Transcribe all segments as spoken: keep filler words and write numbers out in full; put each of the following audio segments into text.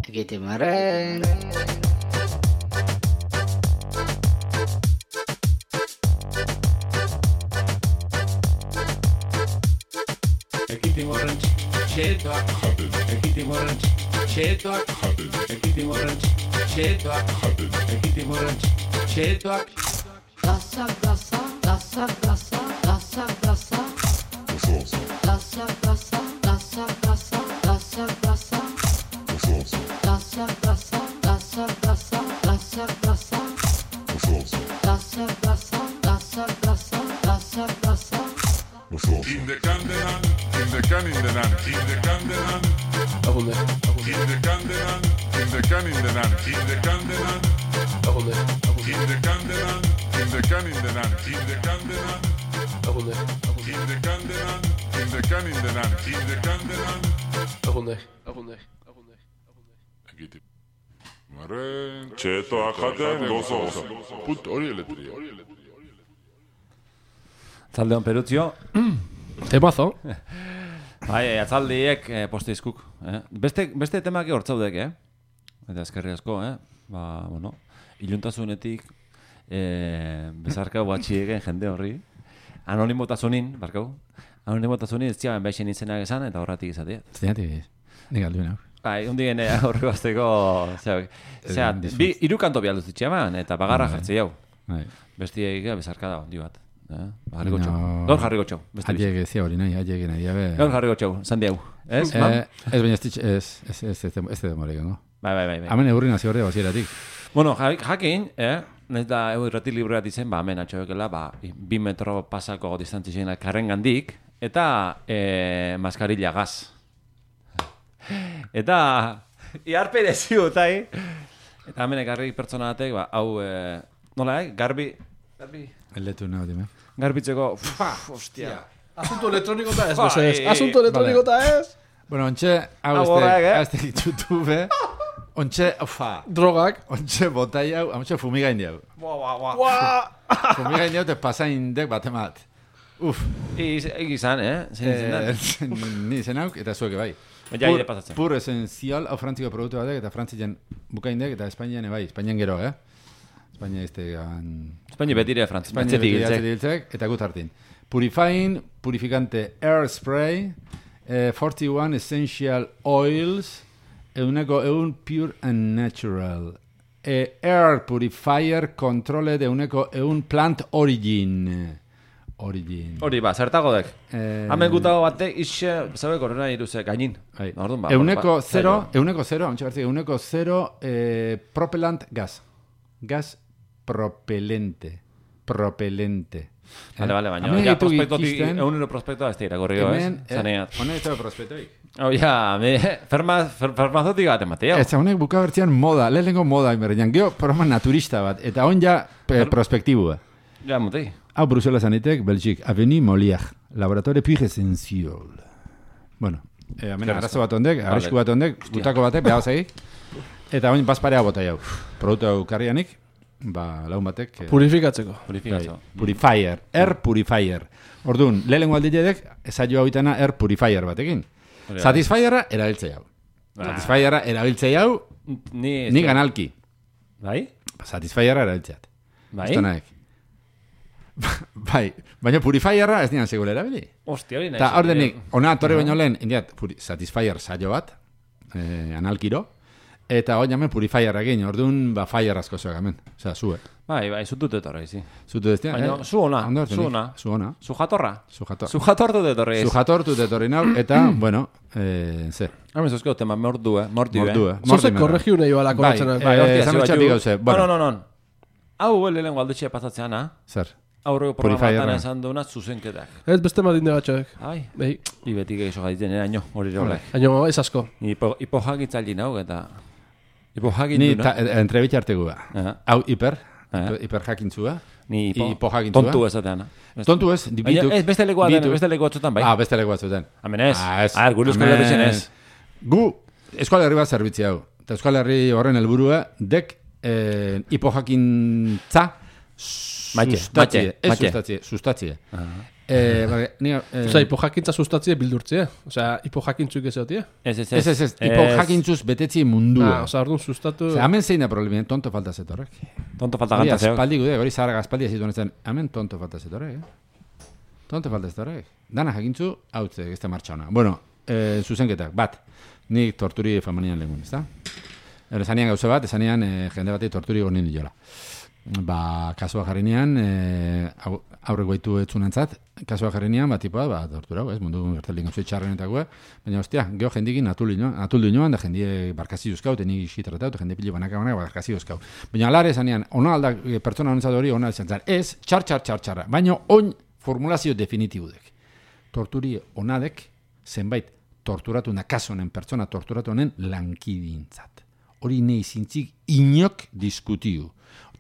Egite marren. Egite marren txetoak jaten. Egite marren txetoak jaten. Egite marren txetoak jaten. Egite marren txetoak. Plaza, plaza, plaza, plaza, plaza, plaza. Plaza, plaza, plaza, plaza, plaza, plaza. Plaza, plaza, plaza, plaza, plaza, plaza. Plaza, plaza, plaza, plaza, plaza, plaza. In the Candelan, in the can in the nan, in the Candelan, Agunde, in the Candelan, in the can in the nan, in the Candelan, agunde, in the Candelan, in the can in the nan, in the Candelan, agunde, in the Candelan, in the can in the nan, in the Candelan. agunde, agunde, agunde, agunde. Egite. Marren, txetoak jaten gozoz. Put hori eletria. Atzaldeon Peruzio. Temazo. Bai, atzaldiek eh, posteizkuk. Eh? Beste, beste temaki hortzaudek, eh? Eta eskerri asko, eh? Ba, bueno, iluntasunetik eh, bezarkau batxiegen jende horri. Anonimotasunin, barkau. Anonimotasunin ez ziaben beixen izenak esan eta horratik izatea. Zeratik, nik aldu nau. Bai, undigen eh, horri bazteko... Zera, bi, iru kanto bialduzitxe eman eta bagarra jartzi hau. Bestiek bezarka da ondi bat. Eh? Jarriko txau. Gaur jarriko txau. Haiek ezia hori nahi, haiek nahi. Gaur jarriko txau, zandi hau. Ez, Eh, mam? ez baina ez ditx, ez, ez, ez, ez, ez demorek, no? Bai, bai, bai. bai. Hemen eurri nazio horre bazieratik. Bueno, ja- jakin, eh? Nahiz da egu irrati libreat izen, ba, hemen atxobekela, ba, bi metro pasako distantzizien karren gandik, eta eh, maskarilla gaz. Eta, iarpe deziu, tai. Eta hemen ekarri pertsona batek, ba, hau, eh, nola, eh? Garbi, garbi, Eldetu nahi, dime. garbitzeko, uf, hostia. Asunto elektroniko eta ez, Bai. bezez. Asunto elektroniko eta ez. Bueno, ontxe, hau Hau horrek, eh? ez tekit YouTube, ontxe, ufa, Drogak. ontxe botai hau, ontxe fumigain diau. Buah, buah, buah. Fumigain diau, te pasain dek bat emat. Uf, Egizan, eh? Zein eh, izan da. ni zen hauk, eta zueke bai. Ja, ire pasatzen. Pur esenzial, hau frantziko produktu batek, eta frantzian bukaindek, eta Espainian bai, Espainian gero, eh? Espainia iztegan... Espainia betire, frantz. Espainia Batzetik betiratzen giltzek. diltzek, eta gut hartin. Purifying, purificante air spray, eh, forty one essential oils, euneko eun pure and natural. Eh, air purifier controle de euneko eun plant origin. Origin. Hori, ba, zertago dek. Eh, Hemen gutago batek, ixe, zabe, korrena iruze, gainin. Bai. Orduan, ba, Euneko ba, zero, zailo. euneko zero, ontsa bertzik, euneko zero eh, propellant gas. Gas propelente. Propelente. Vale, vale, baina, Hemen ja, ditu prospektotik, ikisten, eunero prospektoa ez dira, gorrio, ez? hemen, eh, Zaneat. honek ez da prospektoik. Hau, ja, me, ferma, fer, farmazotik bat ematea. Ez, honek buka bertzean moda, lehenengo moda inberdian. Geo, programa naturista bat, eta on ja eh, prospektibua. Ja, mutei. Hau Bruselas anitek, Belgik, Avenue Molière, Laboratoire Pure Essential. Bueno, eh, hemen arazo bat ondek, arrisku bat ondek, gutako batek, behar zegi. Eta oin bazparea bota jau. Produktu hau karrianik, ba, laun batek... eh, Purifikatzeko. Purifikazio. bai, Purifier, air purifier. Orduan, lehenengo aldidek, ezaio hau itana air purifier batekin. Hori da. Satisfierra erabiltzei hau. Ah. Satisfierra erabiltzei hau, Ni... ni ganalki. Bai? Satisfierra erabiltzeat. Bai? Estonaek. Bai, baina purifierra ez nian segule erabili. Hostia, hori nahi. Eta ordenik, ona torre baino lehen, indiat, puri, Satisfyer saio bat, eh, analkiro, eta hori hemen purifier egin, orduan, ba, fire asko zoak hemen. Osea, zue. Bai, bai, zutut etorri, zi. Zutu ez Baina, zu ona, Ondo ordenik, zu ona. Zu ona. Zu jatorra. Zu jator. Zu jatortu etorri. Zu jatortu etorri nau, eta, bueno, eh, ze. Hemen zozko tema, mordu, eh? Mordi, Mordu, eh? eh? Zoze Mortimer. korregiu nahi bala Bai, koratzen. bai, hostia, esan zio utxatik batzu- gauze, bueno. No, no, no, no. Hau, lehen aldetxea pasatzeana, Zer. aurreko Purifierra. programatan esan duena zuzenketak. Ez beste madin degatxoek. Ai, Behi, ibetik egizio gaitzen, eraino, hori rolek. haino ez asko. Ipo, ipo jagitzaili nau, eta... Ipo jagin Ni du, ta, eh, entrebit artegua. Aha. Hau hiper, Aha. hiper jakintzua. Ni ipo, Ipo jagintzua. tontu esateana. Tontu ez, Baina, bituk. ez beste lekoa den, bituk. beste lekoa batzutan, bai. Ah, beste leku batzutan. Hemen ez. Ah, ez. Ah, gure euskal Hemen- herritzen ez. Gu, Euskal Herri bat zerbitzi hau. Eta Euskal Herri horren helburua dek eh, hipojakintza Matxe, sustatzie. matxe, Ez matxe. sustatzie, sustatzie. Eh, bai, ni... Eh, Osea, hipojakintza sustatzie bildurtzie. Osea, hipojakintzuk ez egotie. Ez, ez, ez, ez, ez, hipojakintzuz betetzi mundua. Ah, osea, orduan sustatu... Osea, hemen zein da problema, tonto falta zetorrek. Tonto falta Hori ganta zeok. aspaldi gude, hori zaharra aspaldi ezitu honetan, hemen tonto falta zetorrek, eh? Tonto falta zetorrek. Dana jakintzu, hautze, ez da martxa hona. Bueno, eh, zuzenketak, bat, nik torturi famanian lehengun, ez da? Esanean gauza bat, esanean eh, jende bati torturi gonin diola. Ba, kasua jarrinean, eh, aurrek baitu etzunantzat, kasua jarrinean, bat tipoa, ba, tortura, ez, mundu gertelin gauza txarrenetako, baina, ostia, geho jendikin atuldu inoan, da jendie barkazi duzkau, teni xitratau, eta jende pili banaka banaka barkazi duzkau. Baina, alare esanean, ona alda, pertsona honentzat hori, ona izan zan, ez, txar, txar, txar, txarra, baina, oin formulazio definitibudek. Torturi onadek, zenbait, torturatu na kasonen, pertsona torturatu honen lankidintzat. Hori nei zintzik inok diskutiu.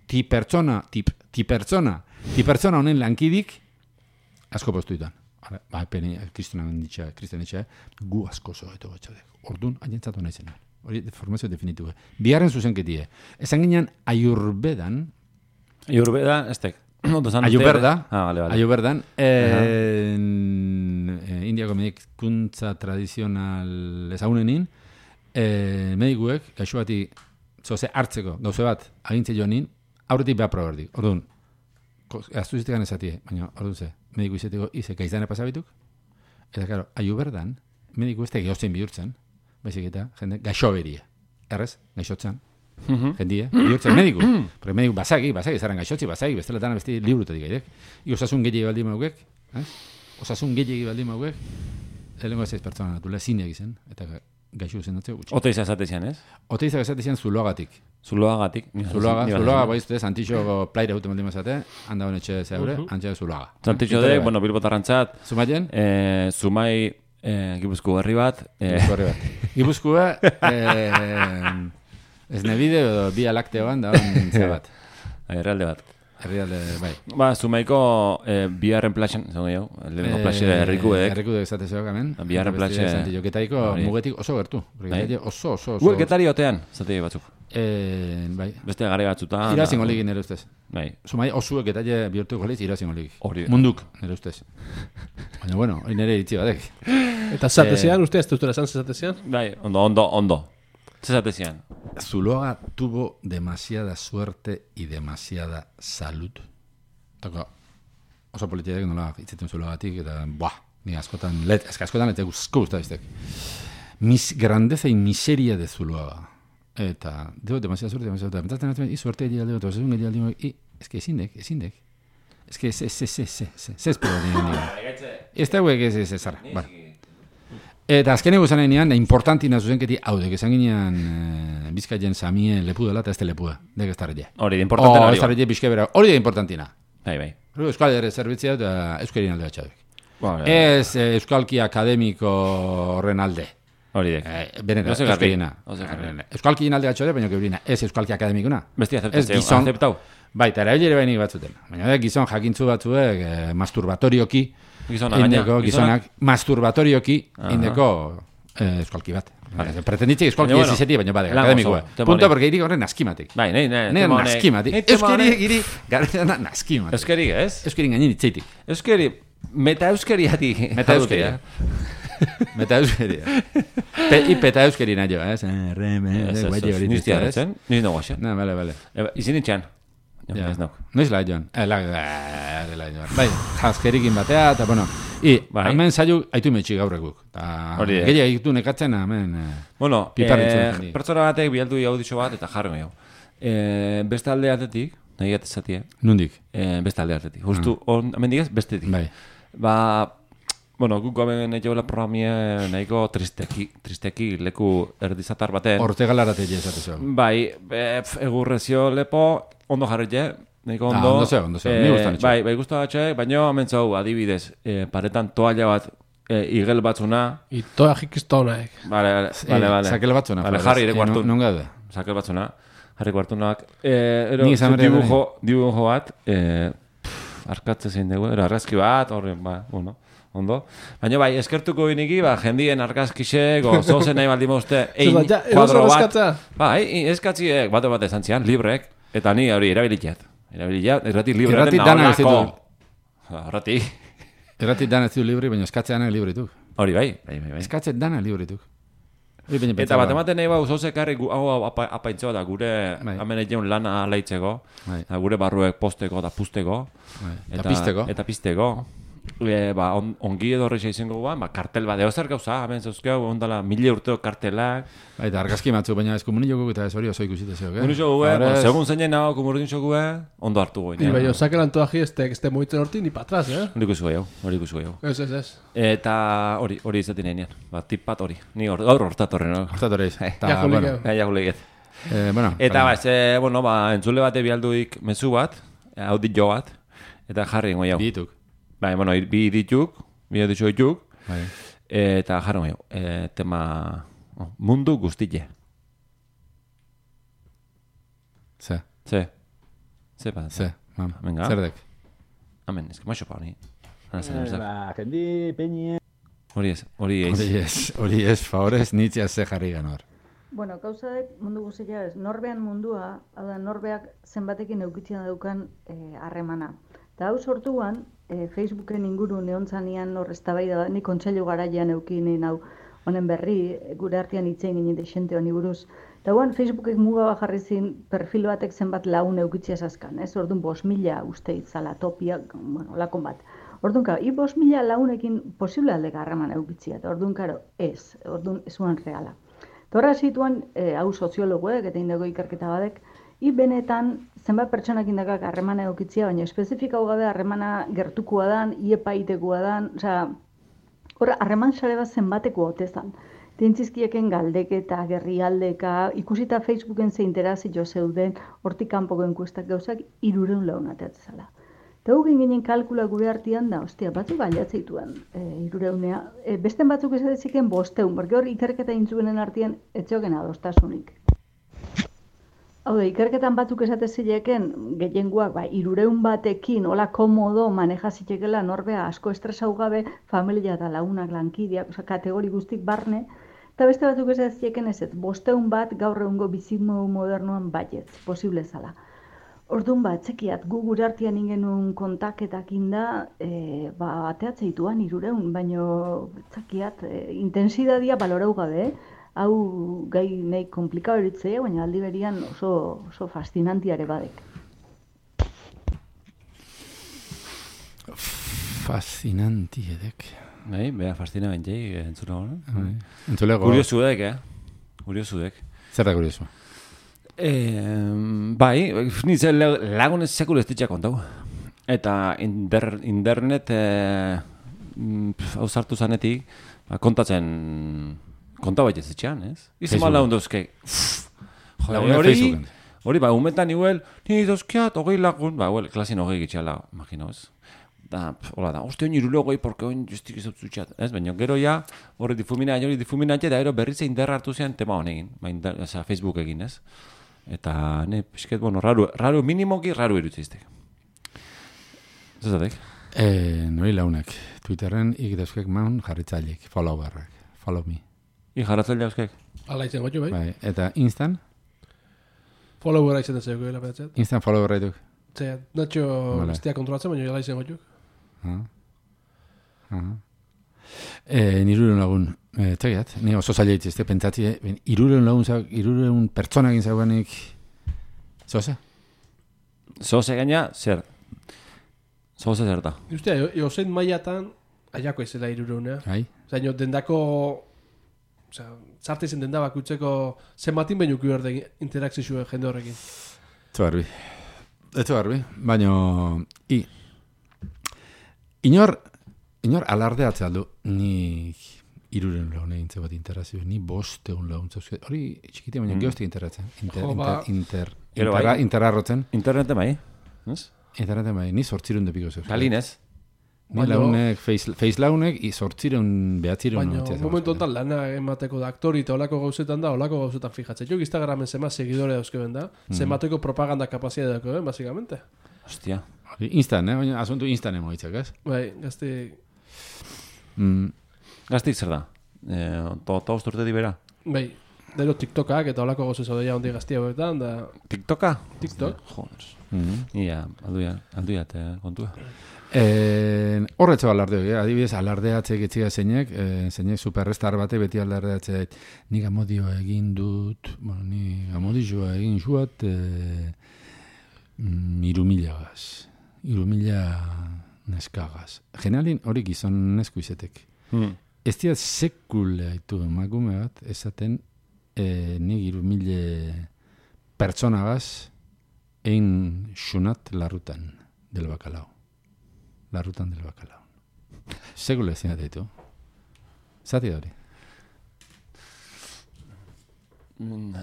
Ti pertsona, ti, ti pertsona, ti pertsona honen lankidik asko postuitan. Ba, peni, kristonan ditxa, kristen ditxa, gu asko zo, eto batxadek. Ordun, hainentzatu nahi zen. Hori formazio definitu. Biharren zuzenketie. Esan ginean, ayurbedan... Ayurbedan, ez tek. Ayurberda, ah, vale, vale. Ayurberdan, eh, uh-huh. Indiako medikuntza tradizional ezagunenin, eh, medikuek, gaixo bati, zoze hartzeko, gauze bat, agintze joanin, aurretik behar proberdik. Orduan, aztu zitekan ezatie, baina, orduan ze, mediku izeteko, ize, gaiztane pasabituk, eta, karo, Ayurberdan, mediku ez da gehozen bihurtzen, baizik eta, jende, gaixo beria. Errez, gaixotzen. Uh-huh. Jendie, bihurtzen mediku. Porque mediku basaki, basaki, zaran gaixotzi, basaki, bestela besti liburutetik gairek. I osasun gehiagi baldi maugek, eh? Osasun gehiagi baldi maugek, elengo ez ez pertsona natula, zineak izan, eta gaixo zen datzeo gutxi. Oteiza esatezian, ez? Oteiza esatezian zuloagatik. Zuloagatik. Zuloaga, zuloaga, baizute, Santixo plaire haute maldi mazate, handa honetxe zeure, uh-huh. Antxe zuloaga. Santixo de, bueno, bilbotarrantzat. Zumaien? Eh, Zumai, eh, Gipuzko herri bat. Eh. Gipuzko herri bat. Gipuzkoa, eh... Ez nebide edo bi alakteoan da hon zebat. Herrialde bat. Herrialde, bai. Ba, Zumaiko eh, biharren plaxen, zango jo, lehenko plaxe errikuek. Errikuek esate zeok hemen. Biharren plaxe. Getaiko mugetik oso gertu. Oso, oso, oso. Gu, Getari otean, zate batzuk. Eh, bai. Beste gari batzutan. Irazingo ligin nire ustez. Bai. Zumai osuek getaile bihurtuko liz irazingo ligin. Hori. Munduk, nire ustez. Baina, bueno, hori nire iritzi batek. Eta zatezian, uste ez duztura zan zatezian? Bai, ondo, ondo, ondo. Zesatezian. Zuloaga tuvo demasiada suerte y demasiada salud. Tako, oso politiak nola itzeten Zuloagatik, eta, buah, ni askotan, let, eska askotan, eta guzko guzta iztek. Mis grandeza y miseria de Zuloaga. Eta, deo, demasiada suerte, demasiada suerte. Mentatzen hartzen, i suerte egin aldeko, eta osasun egin aldeko, i, eske ezindek, ezindek. Eske, ez, ez, ez, ez, ez, ez, ez, ez, ez, ez, ez, ez, ez, eta azkeneko esan enean, importantina zuzenketi hau dek, esan ginean e, Bizkaien samie lepu dela eta ez te lepua, dek ez tarrete. Hori da importantina hori. hori. Ez tarrete bizke bera, hori da importantina. Bai, bai. Euskal ere zerbitzea eta euskarien alde batxadek. Bueno, ez e, euskalki akademiko horren alde. Hori dek. E, Benera, euskarina. Euskalkien alde batxadek, baina keurina, ez euskalki akademikuna. Besti aceptau. Bai, eta erabilere bainik batzuten. Baina da, gizon jakintzu batzuek e, masturbatorioki, Gizona, indeko, gizonak, masturbatorioki, indeko eh, eskolki bat. Vale. Pretenditzik eskolki ez izeti, baina bade, akademikoa. Punto, porque irik horren naskimatik. Bai, nahi, nahi. Nahi naskimatik. Euskeriek iri, garrera naskimatik. Euskeriek, ez? Euskeriek gainin itzeitik. Euskeri, meta euskeriatik. Meta euskaria. Meta euskaria. Ipeta euskeri nahi jo, ez? Reme, guaiti hori niztia, ez? Niz no guaxe. Na, bale, bale. Izin itxean. Ja, noiz la joan. Eh, la, la joan. Bai, jaskerikin batea, eta, bueno, i, bai. Hemen zailu haitu metxi gaurrekuk. Gehiak egitu nekatzen, hemen bueno, piparritzen. Eh, pertsona batek bialdu auditxo bat, eta jarro gehiago. Eh, beste alde atetik, nahi gatezatia. Nundik? Eh, beste alde atetik. Justu, ah. on, hemen digaz, bestetik. Bai. Ba, bueno, guk hemen nahi jaula programia nahiko tristeki, tristeki leku erdizatar baten. Ortegalarate jezate zo. Bai, egurrezio lepo, ondo jarritxe, nahiko ondo. Ah, ondo zeo, ondo zeo, ni gustan etxe. Bai, bai guztu batxe, baina amentzau adibidez, eh, paretan toalla bat, eh, igel batzuna. Itoa jikiztonaek. Vale, vale, vale, vale. Sakel batzuna. Vale, jarri ere kuartu. Non gaude? Sakel batzuna, jarri kuartunak. Eh, ero, dibujo, dibujo bat, eh, arkatze zein dugu, ero, argazki bat, horren, ba, bueno. Ondo. Baina bai, eskertuko iniki, ba, jendien argazkixek, o zozen nahi baldi mauzte, ein kuadro bat. Bai, eskatziek, bate bat esan zian, librek, eta ni hori erabilitxat. Erabilitxat, erratik libre den naholako. Erratik. Erratik dana ez du libri, baina eskatze dana librituk. Hori bai, bai, bai. bai. Eskatze dana librituk. Eta bat ematen nahi bau, zoze karri hau apaintzea da gure Bai. hemen egin lana alaitzeko, Bai. eta gure barruek posteko eta pusteko, Bai. Eta pizteko. Eta pizteko. E, ba, on, ongi edo horreixa izango guan, ba, kartel bat, eozer gauza, hemen zauzkeu, ondala mila urteo kartelak. Bai, eta argazki matzu, baina ez komunin jokuk eta ez hori oso ikusite zeok, eh? Komunin joku, eh? Bueno, segun zeinen hau, komunin joku, ondo hartu goin. Y bai, saque el antoaje este, este moitzen horti ni para atrás, eh? Hori ikusi gaiau, hori ikusi gaiau. Ez, ez, ez. Eta hori, hori izaten enean, ba, tip bat hori. Ni hor, gaur hortatorren, no? Hortatorreiz. Ja, bueno, Ja, juleget. eh, bueno, Eta baina- ba, ze, bueno, ba, entzule bate bialduik mezu bat, audit bat, eta jarri ingo jau. Bituk. Bai, bueno, bi dituk, bi ditu dituk, Bai. eta jarri ingo jau. E, tema, oh, mundu guztile. Ze, Ze, ze bat. ze, mam. Venga. Zerdek. Amen, ez que maixo pa honi. Ana zen, ez da. Ba, jendi, peñe... Hori ez, hori ez. Hori ez, hori ez, favorez, nitzia ze jarri ganor. Bueno, gauzadek mundu guztia ez, norbean mundua, hau da norbeak zenbatekin eukitzen daukan harremana. Eta hau sortuan, e, Facebooken inguru neontzanean hor eztabaida bat, ni kontseilu garaian eukinen hau honen berri, gure artean itzein ginen desente honi buruz. Eta guan Facebookek muga bat jarri zin perfil batek zenbat laun eukitzia zazkan, ez? Orduan bost mila uste itzala topia, bueno, lakon bat. Orduan, karo, i bost mila launekin posible aldeka harreman eukitzia, eta orduan, karo, ez, orduan ez zuen reala. Torra zituan, e, hau soziologoek eta indako ikerketa badek, i benetan zenbat pertsonak indakak harremana eukitzia, baina espezifika gabe harremana gertukoa dan, iepaitekoa dan, osea, hor harreman sare bat zenbateko hotezan. Tentzizkieken galdeketa, gerrialdeka, ikusita Facebooken ze interazio zeuden, hortik kanpoko enkuestak gauzak, irureun laun ateatzala. Eta hugin ginen kalkula gure artean da, ostia, batzuk aliatzeituen e, irureunea. E, besten batzuk ez edeziken bosteun, porque hor ikerketa intzuenen artean etxoken adostasunik. Hau da, ikerketan batzuk esate zileken, gehiengoak, ba, irureun batekin, hola komodo, maneja zitekela norbea asko estresau gabe, familia eta lagunak lankideak, oza, kategori guztik barne, eta beste batzuk esate zileken ez, bosteun bat gaur egungo bizimo modernoan baietz, posible zala. Orduan bat, txekiat, gu gure artean ingenuen kontaketak inda, e, ba, ateatzeituan irureun, baino, txekiat, e, intensidadia balorau gabe, eh? Hau gai nahi komplikau eritzea, baina aldi berian oso, oso fascinantiare badek. Fascinanti edek. Bai, beha fascina bentzei, entzuna hori. Bai. Entzulego. Kuriosu dek, eh? Kuriosu dek. Zer da kuriosu? Eh, bai, nintzen lagunez sekul ez ditxak kontau. Eta inter, internet eh, hau sartu zanetik, ba, kontatzen konta baita ez ditxan, ez? Izan mal lagun dauzke. Lagunak Hori, Facebooken. hori, ba, umetan igual, ni dauzkeat, hogei lagun, ba, well, klasin hogei gitxala, imagino, ez? Da, hola da, uste honi irule hogei, porque honi justik ez zutxat, ez? Baina gero ja, hori difumina, hori difumina, eta gero berriz indar hartu zean tema honekin, ba, inter, oza, Facebook egin, ez? Eta, ne, pixket, bueno, raro, raro, minimoki, raro irutziztek. Zazatek? Eh, nori launak. Twitterren ik dauzkek maun jarritzaileek, followerrak, follow me. I jarratzen jauzkek? Ala izen gotxu, bai? Bai, eta Instan? Followera izen dezeko gela behatzet. Instan followerra dituk. Zea, natxo Vale. bestia kontrolatzen, baina ala izen gotxu. Ah. Ah. Eh, niruren lagun, eh, txegiat, ni oso zaila itzizte, pentsatzi, eh, ben, iruren lagun, zau- iruren pertsonakin zauganik, zoze? Zoze gaina, zer? Zoze zer da? Ustea, jozein mailatan, aiako izela irureunea. Bai? Zaino, dendako, osea, zarte izen denda bakutzeko zenbatin behin uki berde interakzizue jende horrekin. Etzu garbi. Etzu garbi, baina, i, inor, inor alardeatzea aldu, ni iruren lagun egin bat interazio, ni bosteun lagun zauzke, hori txikitia, baina Mm. geostik interatzen, inter, Jo, inter, ba. inter, Gero intera, bai. interarrotzen, Internete bai? Ez? internetan bai, ni sortzirun depiko zauzke. Galinez? Ni Baina- launek, face, face launek, i sortzireun, behatzireun. Baina, momentu honetan lana emateko da aktori eta olako gauzetan da, olako gauzetan fijatzen. Jo, Instagramen zema seguidore dauzkeben da, zemateko propaganda kapazia dago, eh, basikamente. Hostia. Instan, eh? Baina asuntu instan emoitzak, ez? Bai, gazte, Mm, Gaztik zer da? Eh, to, to usturte dibera? bai, dero TikTokak eta olako gauze zaude ja hondi gaztia betan, da TikToka? TikTok. Joder. mm. Ia, alduia, alduia, te kontua. Eh, horretzo alardeo, eh? Adibidez, alardeatzek etxiga zeinek, eh, zeinek superstar bate beti alardeatzea, nik amodio egin dut, bueno, nik amodio egin zuat, eh, mm, irumilagaz, irumila neskagaz. Generalin hori gizon nesku izetek. Hmm. Ez dira sekule haitu emakume bat, esaten eh, nik irumile pertsonagaz egin xunat larrutan del bakalao. Larrutan del bakalao. Segule ezin ditu. Zati hori.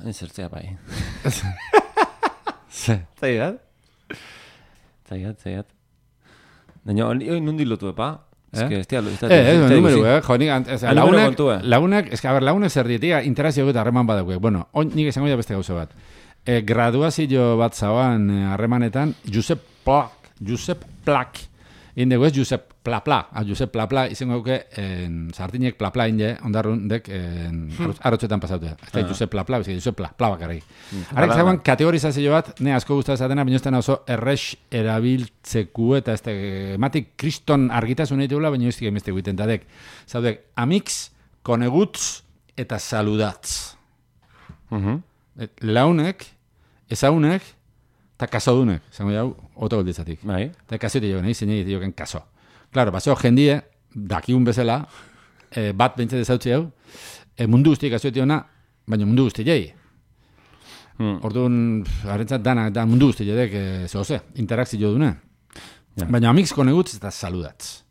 Ezertzea bai. Ze. Zaigat? Zaigat, zaigat. Baina, hori nundi lotu epa? Ez que, ez tia, ez Eh, ez, numero, eh, jo, nik, ez, Ah, numero lagunak, kontua. lagunak, ez que, a ber, lagunak zer dietia, interazio eta harreman badauk. Bueno, on, nik esango ja beste gauza bat. Eh, graduazio bat zauan eh, harremanetan, Josep Plak, Josep Plak, indego ez Josep Plapla, ah, Josep Plapla, izango duke, en, sartinek Plapla inde, ondarrun dek, en, arrotxetan pasatu. Ez da, Josep Plapla, ez Josep Plapla bakarri. Harrek zauan kategorizazio bat, ne asko guztatzatena, baina ez dena oso errex erabiltzeku, eta ez da, ematik kriston argitasun egiteula, baina ez dira emezte guiten, eta dek, zaudek, amics, koneguts, eta saludatz. Et, launek, ezaunek, eta kasodunek, zango jau, oto golditzatik. Bai. Eta kasoite joan, egin zinei dioken kaso. Claro, baseo jendie, dakigun bezala, eh, bat bentset ezautzi hau, eh, mundu guztiek kasoite jona, baina mundu guzti jai. Hmm. Orduan, harentzat dana, da mundu guzti jadek, eh, zoze, interakzio dune. Ja. Baina amix konegutz eta saludatz.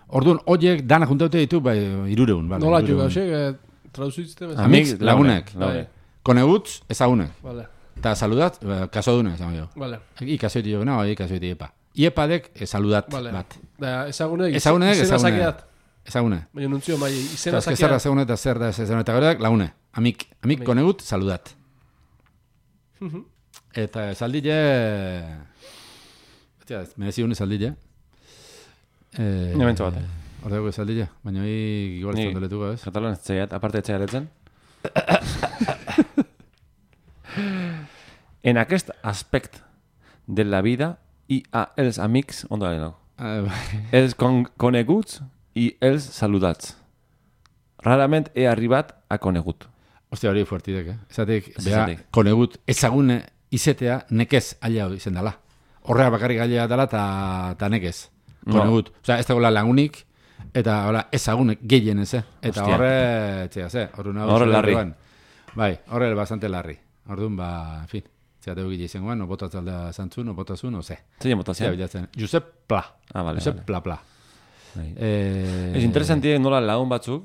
Orduan, horiek dana juntaute ditu, bai, irureun. Vale, Nola irureun. jo gauzek, eh, traduzitzte bezala. Amix, lagunek. Launek. Konegutz, ezagunek. Vale, Eta saludat, eh, kasodune, zango jo. vale, Ikasoiti jo, no, ikasoiti epa. Iepadek, eh, saludat vale. bat. Da, ezagunek, Ezagunek, izena ezagunek. zakeat. Ezagune. Baina nuntzio, bai, izena Eta eske zer da zakeat. ezagune eta zer da ez ezagune. Eta gero laune. Amik, amik Amik. konegut, saludat. Mhm. Eta esaldile... Etia, ez, merezi hune esaldile. Eh, Ni mentzo bat. Hor dago esaldile, baina hori igual ez Ni- doletuko, ez? Katalan ez zaiat, aparte ez zaiaretzen. En aquest aspect de la vida i a els amics, ondo gari no? Ah, bai. Els con coneguts i els saludats. Rarament he arribat a conegut. Ostia, hori fuertidek, eh? Ezatik, Ez beha, esatik. konegut ezagune izetea nekez alia izen dela. Horrea bakarrik alia dela eta ta nekez. No. Konegut. Osea, ez dagoela lagunik, eta hola, ezagunek gehien ez, eh? Eta Hostia. horre, txea, ze, horre nago. Horre larri. Bai, horre bastante larri. Orduan, ba, en fin. Zea, tegu gile izangoan, no botatz aldea zantzu, no botazu, no ze. Zein Zea, botazia? bilatzen. Josep Pla. Ah, vale, Josep vale. Pla Pla. Bai. Eh, Ez interesantie nola lagun batzuk,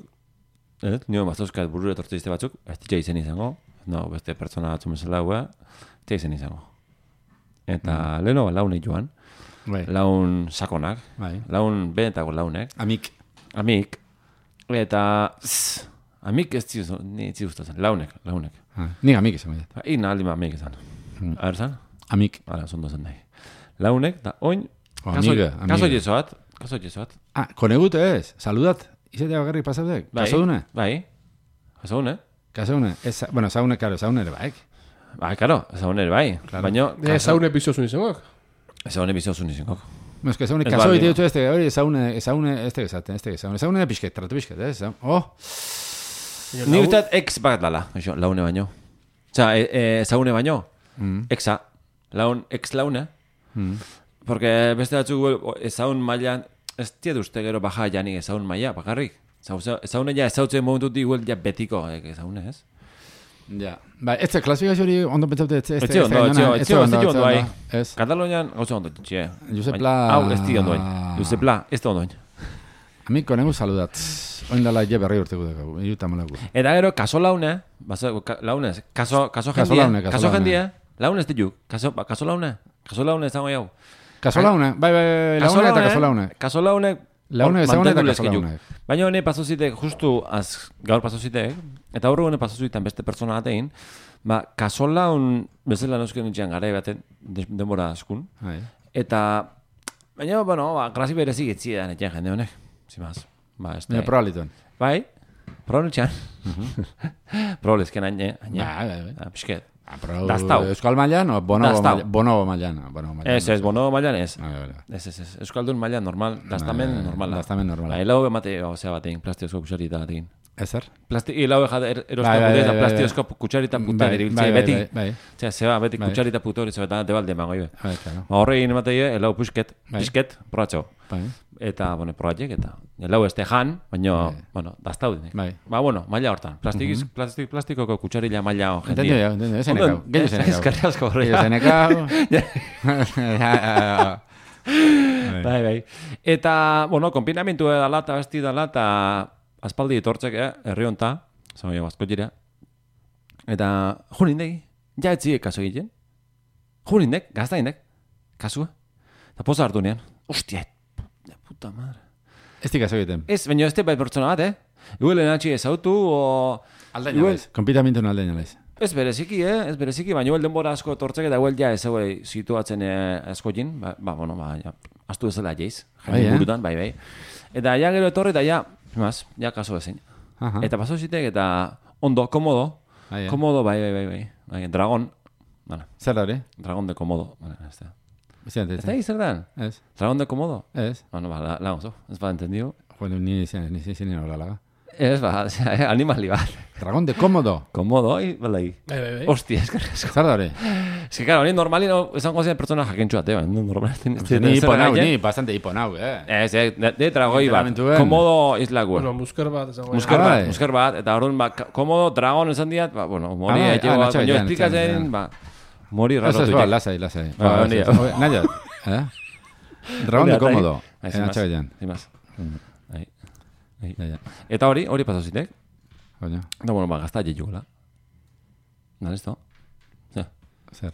ez? Nio mazuzkat burura etortzizte batzuk, ez ditza izen izango, no, beste pertsona batzu bezala hua, ez ditza izen izango. Eta leheno launek joan, Bai, laun sakonak, bai. laun benetako launek, Amik. amik, eta zzz, amik ez ziuz, ni ez ziuztazen, launek, launek. Ah, ni amik izango dut. Ba, Ina aldi ma amik izan. Hmm. A ber zan? Amik. Hala, zondo zen nahi. Launek, da oin, O, kaso, amiga, kaso amiga. jesoat, kaso jesoat. Ah, konegut ez, saludat. Izatea bakarrik pasaudek. Bai, Kasodune. bai, kasodune. Kasodune. Ez, bueno, zaune, karo, zaune ere baik. Bai, karo, ezagune ere bai. Claro. Baina, Eh, Ezagun epizozun izango. ezagune bizozun izango. No, es que zaune, Ez kaso baldin, ite dut este, hori zaune, zaune, este gezaten, este gezaten. Zaune pixket, tratu pixket, ez? Oh, Ni usteat ex bat dala, eso, laune baino. Osa, e, e, ezagune baino, mm. exa, laun, ex laune. Mm. Porque beste batzuk ezagun mailan, ez tiet uste gero baja janik ezagun maila, bakarrik. Ezagune ja ezautzen momentu diguel ja betiko, eh, ezagune, ez? Ja. Ba, ez da, klasifikazio hori ondo pentsaute, ez Ez zio ondo, ez zio, ez zio, ez zio ondo bai. Ez. Katalonian, gauza ondo, txie. Josep Baina, Pla- Hau, ez di ondoin. Josep Pla, ez da ondoin. Amik konegu saludat. Oin dala je berri urteko dugu, iruta malaku. Eta gero, kaso laune, baza, ka, launez, kaso, kaso Kaso jendie, laune, kaso kaso laune. jendie, launez ditu, kaso, ba, kaso laune, kaso laune ez dago jau. Kaso laune, bai, bai, bai, laune eta kaso laune. Kaso laune, Laune ezagune eta kaso mantendu laune. Baina hone pasozitek, justu az, gaur pasozitek, eta horre hone pasozitan beste pertsona batein, ba, kaso laun, bezala nosken nintxean gara baten, de, denbora askun, Bai. eta, baina, bueno, ba, grasi berezik etzi da netxean jende honek, zimaz. Ba, ez Baina da. probalituen. Bai, proba nintxean. Probableezken haine, haine. Bai, bai, bai. Ah, Pisket. Ah, pero Dastau. Euskal mailan o bonobo Dastau. mailan? Bonobo mailan. Bonobo mailan. Ez, ez, bono mailan ez. Bai, bai, bai. Ez, ez, ez. Euskaldun mailan normal, dastamen Bai, normala. dastamen normala. Bai, lau emate, osea batein, plastiozko kutsarita batein. Ezer? Plasti, ilau ejat er, Bai, erosta bai, putez, bai, bai, plastiozko kutsarita puta Bai, diribiltzea, bai, bai, beti. bai, bai. Osea, zeba, beti Bai. kutsarita puto hori zebetan, debalde emango ibe. Bai, claro. Ba, horrein emateie, elau pusket, Bai. pisket, proatxo. Bai. Eta, bueno, proatxek, eta elau este jan, baina, Bai. bueno, daztauden. Bai. Ba, bueno, maila hortan. Plastikiz, plastik, plastikoko kutsarila maila hon Entendio, jendia. ja, entendio. Ese nekau. Gehiago ese nekau. Eskerri asko Gehiago horreia. ese nekau. Bai, bai. Eta, bueno, konpinamentu edala eta besti dala eta aspaldi etortzek, eh, herri honta, zau jo, bazko jira. Eta, junindegi, ja etziek kaso egiten. Junindek, gaztaindek, kasua. Eta poza hartu nean. Ostia, de puta madre. Ez dikazo egiten. Ez, baina ez bai pertsona bat, eh? Igual enatxi ezautu, o... Aldaina Igual- lez. Konpitamentu aldaina lez. Ez bereziki, eh? Ez bereziki, baina igual denbora asko etortzek eta igual ja ez hauei situatzen eh, asko jin. Ba, ba, bueno, ba, ja, astu ezela jeiz. Bai, Jende eh? burutan, bai, bai. Eta ja gero etorri eta ja, mas, ja kaso ezin. Aha. Eta paso zitek eta ondo, komodo. Bai, eh? Komodo, bai, bai, bai, bai. bai dragon, vale, Zer da hori? dragon de komodo. Vale, ez da. Ez da, Ez da zer dan? Ez. Dragon de komodo? Ez. Bueno, ba, la, la oso, ez ba, entendido. Bueno, ni izan, ni izan hola laga. Ez ba, osea, eh, animali bat. Dragón de cómodo. Komodo, bai, balai. Bai, bai, bai. Hostia, eskerrik asko. Zer da hori? Ez que, claro, ni normalin esango zen pertsona jakentxuate, bai, normal. Ni hiponau, ni bastante hiponau, eh. Ez, eh, de, de dragoi bat. Literalmentuen. Komodo islague. Bueno, musker bat, esango. Musker Ah, bat, bai. musker bat, eta orduan, ba, komodo dragon esan diat, ba, bueno, mori Ah, bai, etxe ah, bat, natxo, baina ja, esplikatzen, natxo, ba, mori Ez ez rarotu ba, jek. lasai, lasai. Ba, Ba, honi, ez, ez. Nahiot, eh? Dragón de Hori, atai. cómodo. Bai, Eh, sin más, natxo egin. sin más. Bai. Bai. Ja, ja. Eta hori, hori paso zitek. Baina, Eta, bueno, ba, gazta jejugela. Da, listo. Ja. zer.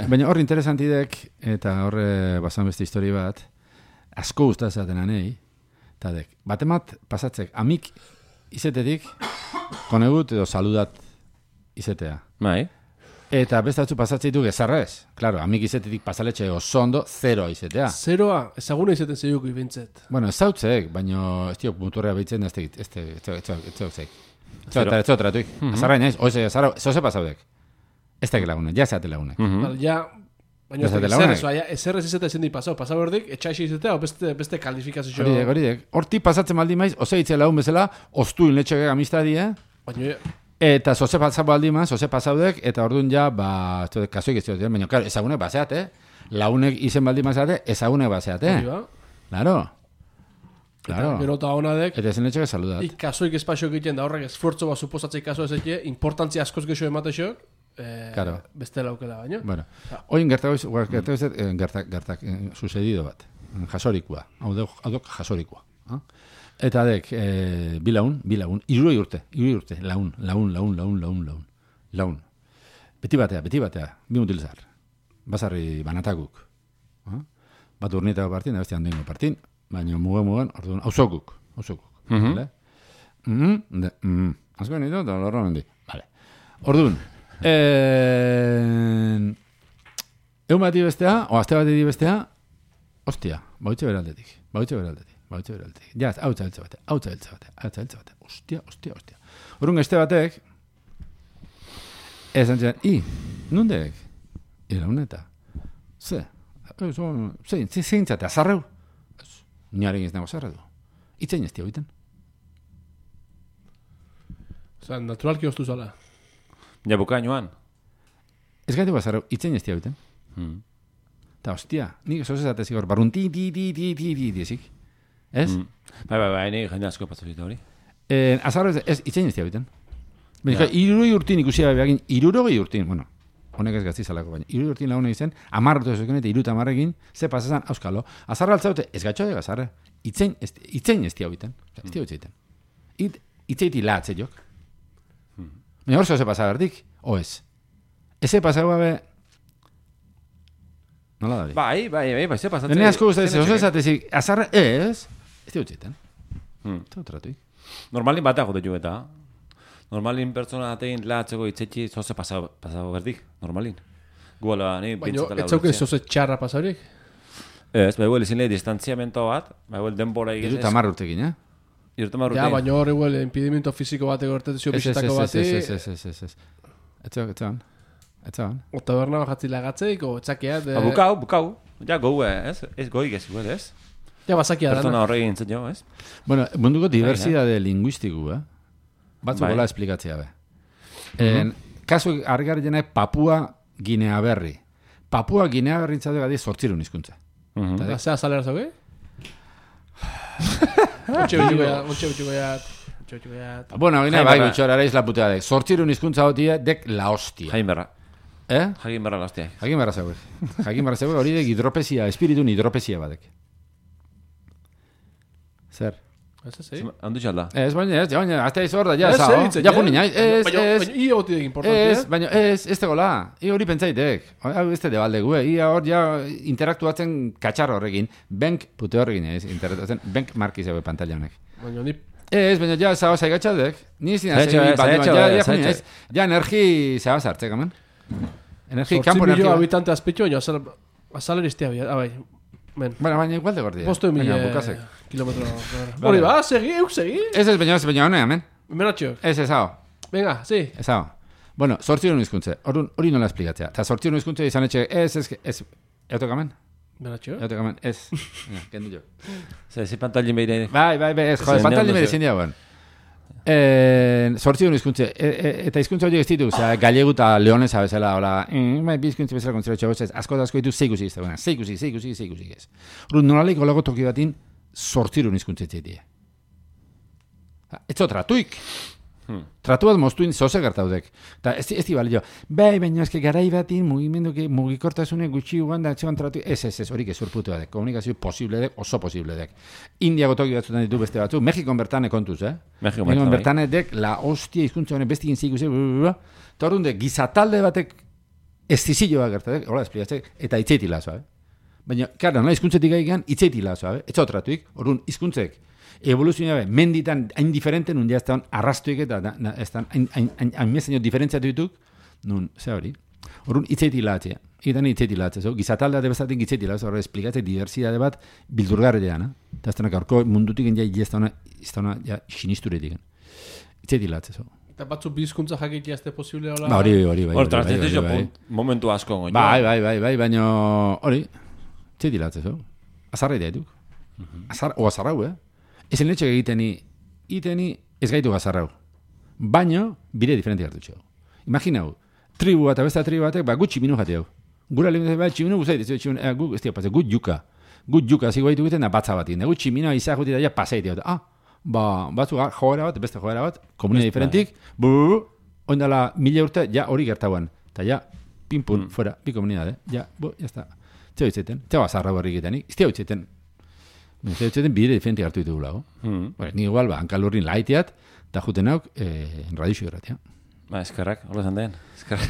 Baina hor interesantidek, eta horre basan beste histori bat, asko gustatzen anei, eta dek, batemat pasatzek, amik izetetik, konegut edo saludat izetea. Bai. Eta beste batzu pasatzen ditu gezarrez. Claro, amik izetetik pasaletxe osondo, zero izetea. Zeroa, ezaguna izaten zeiuk ibintzet. Bueno, ez zautzek, baina ez diok muturrea behitzen, ez tegit, ez tegit, ez tegit, ez zautzek. Ez Zero. zautzek, ez zautratuik. Azarra inaiz, oize, azarra, zoze pasaudek. Ez tegit lagunek, ja zeate lagunek. Bal, ja, baina Ez ez dela ezer honek. ez, baina ezer ez izate ezin di pasau. Pasau erdik, etxaixi izatea, o beste, beste kalifikazio. Horidek, horidek. Horti pasatzen maldi maiz, oze hitze lagun bezala, ostuin letxeke amistadie, Baina, eta zoze pasau baldi maiz, zoze pasaudek, eta orduan ja, ba, ez dut, kasuik ez dut, baina, claro, ezagunek baseat, eh? Launek izen baldi maizate, ezagunek baseat, hori eh? ba. Claro. Eta Claro. gero eta honadek, Eta ezen letxeke saludat. ikasoik espazio egiten da horrek esfuerzo bat suposatzei kaso ez eke, importantzia askoz gexo ematexok, eh, Claro. beste laukela baina. Bueno, oin gertagoiz, gertagoiz, eh, gertak, gertak, eh, sucedido bat. Jasorikua. Hau dok, hau dok jasorikua. Ah? Eta dek, eh, bi laun, bi laun, iruroi urte, iruroi urte, laun, laun, laun, laun, laun, laun, laun. Beti batea, beti batea, bi mutilzar. Basarri banatakuk. Ah? Bat urnietako partin, da beste handoingo partin, baina mugen mugen, orduan, hausokuk, hausokuk. Mhm. Vale? Mhm, de, mhm. Azko nitu, eta lorro mendi. Vale. Orduan, eh, egun bati bestea, o aste bati bestea, ostia, bautxe beraldetik, bautxe beraldetik, bautxe beraldetik. Ja, hau txabeltze bate, hau txabeltze bate, hau txabeltze bate, ostia, ostia, ostia. Orduan, este batek, esan txan, i, nundek? Ira honeta. Ze? Eh, so, zein, zein, zein zate, azarreu? Ez, niaren ez nago azarreu. Itzein ez egiten. Osa, naturalki oztu zala. Ja, bukainoan. Ez gaitu azarreu, itzein ez egiten. Hmm. Ta hostia, nik zoz ezatezik hor, barrun ti, ti, ti, ti, ti, ti, ti, ezik. Ez? Hmm. Bai, bai, bai, ni jende asko patzu zita hori. Eh, azarreu ez, ez itzein ez egiten. Ja. Ja. Iruroi urtin ikusi gabe egin, irurogei urtin, bueno, honek ez gazti zalako baina, irurogei urtin lagunek izen, amarrotu ezoken eta iruta amarrekin, ze pasazan, auskalo, azarra altzaute, ez gatxo de azarra, itzein, ez, itzein ez diabiten, ez diabiten. It, itzeiti lahatze jok. Baina hor zoze pasa berdik, o ez. Eze pasa gabe, nola da hori? Bai, bai, bai, bai, ze pasatzen. Dene asko guztatzen, zoze ezatezik, azarra ez, ez diabiten. Hmm. Eta tratuik. Normalin batea jote jo eta. Normalin pertsona atein lahatzeko itzetxi zoze pasau, pasau berdik, normalin. Guala, ni Baina, bintzatela ez zauke ulertzea. zoze txarra pasaurik. Ez, bai, huel izin lehi distantziamento bat, bai, huel denbora Iruta igez. amar urtekin, eh? irten barruti. Ja, baina hor igual impedimento fisiko bateko ertetezio bizitako bati. Ez, ez, ez, ez, ez. Etzean, etzean. Etzean. O taberna bajatzi lagatzeik, o txakeat. Ba, bukau, bukau. Ja, gau, ez? Ez goi gezu, ez? Ja, basakia dana. Pertsona horregin zen jo, ez? Bueno, munduko diversidade linguistiku, eh? Batzu Bai. gola esplikatzea, be. En, kasu argarriena Papua Ginea Berri. Papua Ginea Berri intzatu gadi sortzirun hizkuntza. Eta zea salera zauge? Ontxe bitxuko ya, ontxe bitxuko ya. Ontxe bitxuko ya. Bueno, gine, Jaime bai, Berra. gutxora araiz la putea dek. Sortzirun hizkuntza hotia dek la hostia. Jain berra. Eh? Jain berra gaztiak. Jakin barra zauek. Jakin barra zauek hori dek hidropezia, espiritun hidropezia badek. Zer? Ez ez, eh? Handu txalda. Ez, baina ez, baina, hasta ez hor da, ja, Ez, zao. egiten, Ja, eh? punin, ez, ez, Baina, ez. baina, ia goti dek importantia. Ez, baina ez, ez tegola. I hori pentsaitek. Hau ez te debalde gue. Ia hor ja interaktuatzen katxar horrekin. Bank pute horrekin ez, interaktuatzen. Bank marki zeue pantalla honek. Baina, ni Ez, baina ja zao zaigatxadek. Ni ez dina Zaitxo, zegi, eh, baina zaitxo, ja, eh, ja, punin, ez. zaitxo. Ja, energi zaba zartzek, amen. Energi, sortzi kampo milio energia. habitante azpitxo, baina azal, azaleristea bia. Ah, bai. Men. Bueno, baina igual de gordia. Posto mila bukazek. kilometro. Hori ba, segi, euk segi. Ez ez, baina ez, baina hone, amen. Menatxo. Ez ez, hau. Venga, sí. Ez hau. Bueno, sortziron hizkuntze. Orduan, hori nola esplikatzea. Ta sortziron hizkuntze izan etxe, ez, ez, ez. Eutok amen? Menatxo. Eutok amen, ez. Ja, kendu jo. Zer, zi pantalin behire. Bai, bai, bai, ez, jode, Zein pantalin ondo bere zeu. zin diagoen. Eh, sortziron hizkuntze, e, e, eta hizkuntza horiek ez ditu, osea, gallegu eta leonesa bezala, hola, mm, bai, bi hizkuntza bezala kontzera txagoz ez, asko da asko ditu zeikusi ez dagoena, zeikusi, zeikusi, zeikusi ez. Orduan, nolalik olago toki batin, sortziron hizkuntza etxetie. Ez tratuik. Hmm. Tratu bat moztuin zoze gertaudek. Ta ez, ez di balio. Bai, baina eske garai batin mugimendu que mugikortasune gutxi ugan da etxean tratu. Ez, ez, ez, hori gezurputu dek. Komunikazio posible dek, oso posible dek. Indiako toki batzutan ditu beste batzu. Mexikon bertane kontuz, eh? Mexikon Mexikon bertan, bertane dek, la hostia hizkuntza honen bestikin ziku ze. Eta horren de, gizatalde batek ez dizilloa gertatek, hola esplikatzek, eta itzeiti lazoa, eh? Baina, karo, nola hizkuntzetik gaigan, itzeiti lazoa, eh? Etxo tratuik, horren hizkuntzek evoluzioa be, menditan hain diferenten, nun ja ez da arrastuik eta da, da, ez da hain, hain, hain, hain mezenio diferentziatu dituk, nun, ze hori. Horren itzeiti latzea, itan itzeiti latzea, so, gizataldea debezatik itzeiti latzea, horre esplikatzea diversidade bat bildurgarrean, eh? Eta ez da gaurko mundutik ja ez da ez da ja sinisturetik. Itzeiti latzea, so. Eta batzu bizkuntza jakitia ez de posible hola. Ba, hori, hori, bai. Hor, hori, bai, transitizio bai, bai. punt, momentu asko goño. Bai, bai, bai, bai, baina hori, itzeiti latzea, so. Azarra ideituk. Azar, o azarrau, eh? Ezen letxe egiteni, iteni ez gaitu gazarrau. Baina, bire diferenti hartu txau. Imaginau, tribu bat, abesta tribu batek, ba, gutxi minu jate hau. Gura lehen bat, tximinu guzait, ez tximinu, eh, gu, ez tia, pasai, gut juka. Gut juka, zigo gaitu giten, da batza batin. Da, gut tximinu, izak guti da, ja, pasai tia. Ah, ba, batzu joera bat, beste joera bat, komunia diferentik, bu, oindala mila urte, ja, hori gertauan. Ta ja, pin-pun, Mm. fuera, bi komunidade. Ja, bu, ya está. Zeo itzeten, zeo azarra barri egitenik, izteo itzeten. Zeo itzeten bide diferenti hartu ditu gulago. Hmm. Bueno, ni igual, ba, hankalurrin laiteat, eta juten hauk, eh, radixo irratia. Ba, eskerrak, hola zan den. Eskerrak.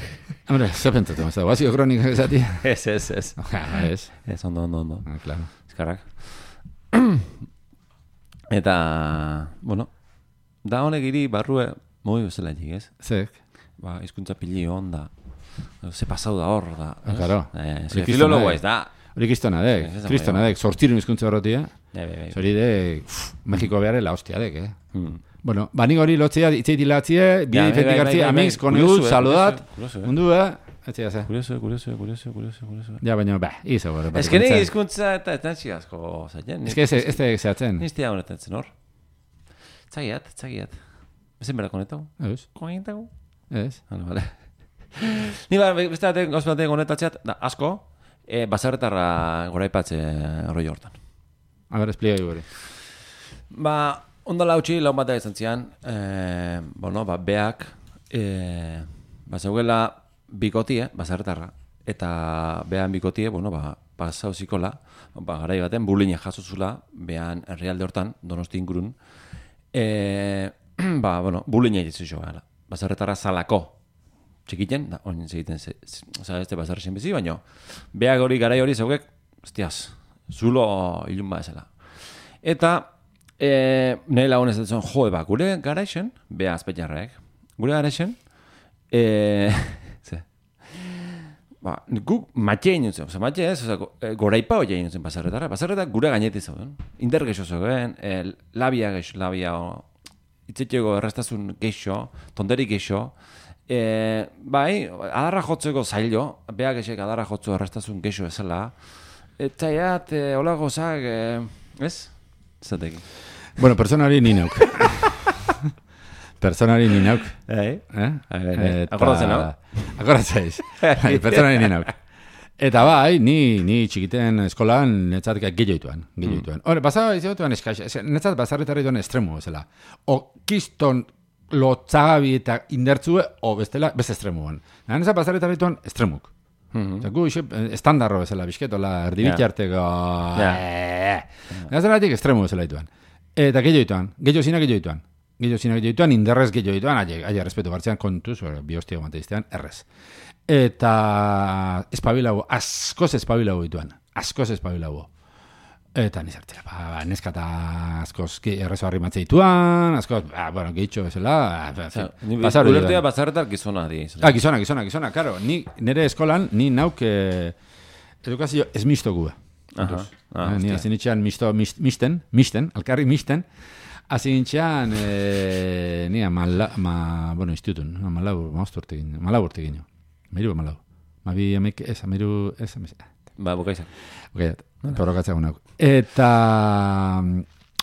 Hombre, ze pentsatu, ez da, guazio kronika esati. Ez, ez, ez. Ja, ez. Ez, ondo, ondo, ondo. Ah, claro. Eskerrak. Eta, bueno, da honek iri barrue moi bezala egin, ez? Zek. Ba, hizkuntza pili onda. Ze pasau da hor, da. Ah, claro. Eh, Hori ze kristona filologo dek. ez da. Hori kristona dek, Ez, ez, kristona bai, dek, sortirun hizkuntza horretia. Bai, bai, bai. Hori dek, uff, Mexiko beharre la hostia dek, eh? Hmm. Bueno, bani hori lotzea, itzeiti latzie, bide Ja, bai, diferentik bai, bai, hartzia, bai, amigos, bai. konut, Kurioso, eh, saludat, kurioso, kurioso, eh. mundu, eh? Etzia, ze. Kurioso, kurioso, kurioso, kurioso, kurioso. Ja, baina, ba, izo, gore. Ez que ni hizkuntza eta ez nantzi asko zaien. Ez que ez ez da zehatzen. Niztia honetan zen hor. Tzagiat, tzagiat. Ezen berak honetau? Ez, Koinetau? ez. Vale, vale. Ni ba, beste batek, gauz batek honetatzeat, da, asko, e, bazarretarra goraipatze roi hortan. A ber, espligai gure. Ba, ondala hautsi, laun bat da izan zian, e, bueno, ba, beak, e, ba, zeugela bikotie, bazarretarra, eta behan bikotie, bueno, ba, pasau zikola, ba, garai baten, buline jasozula, behan herrialde hortan, Donosti ingurun, e, ba, bueno, buline egitzu jo gala. Bazarretarra zalako, txikiten, da, oin egiten, oza, ez de bazarre zen bizi, baina, beak hori, garai hori zeugek, hostiaz, zulo ilun badezela. Eta, e, nire lagun ez dut zuen, jo, eba, gure garaixen, beha azpetxarrek, gure garaixen, e, ze, ba, guk matxe egin zen, oza, matxe ez, oza, go, e, goraipa hori egin zen pasarretara, pasarretak gure gainetik zauden, indar geixo zegoen, e, labia geixo, labia, itzetxego errestazun geixo, tonderi geixo, e, bai, adarra jotzeko zailo, beha geixek adarra jotzu errestazun geixo ezela, eta jat, e, hola gozak, e, ez? Zateki. Bueno, personari ni neuk. Personari ni neuk. Eh? Eh? Eta... Akordatzen, no? Akordatzeiz. Personari ni neuk. Eta bai, ni, ni txikiten eskolan netzat gehioituan. Gehioituan. Hore, basaba izagotuan eskaix, netzat basarretarri duen estremu bezala. O kiston lotzagabi eta indertzue, o bestela, beste estremuan. Netzat basarretarri duen estremuk. Mm-hmm. Gu ise estandarro bezala, bizketola, erdibitxarteko... Netzat estremu bezala dituan. Eta gehioituan, gehio zina gehioituan. Gehio zina gehioituan, inderrez gehioituan, aia respetu bartzean kontuz, bi hostia guanteiztean, errez. Eta espabilago, askoz espabilago dituan, askoz espabilago. Eta nizartela, ba, ba, neskata askoz errezo harri matzea dituan, askoz, ba, bueno, gehitxo bezala. Ulertea bazarretar gizona di. Ah, gizona, gizona, gizona, karo. Ni, nire eskolan, ni nauk eh, edukazio ez mistogu. Aha, ah, ni hazin itxean misto, mist, misten, misten, alkarri misten, hazin itxean, eh, ni amala, ma, bueno, institutun, malau, mausturtegin, malau urtegin. Meiru malau. Mabi amek, ez, ameiru, ez, amez. Ba, bukaizan. Bukaiat, porrokatzea gunak. Eta,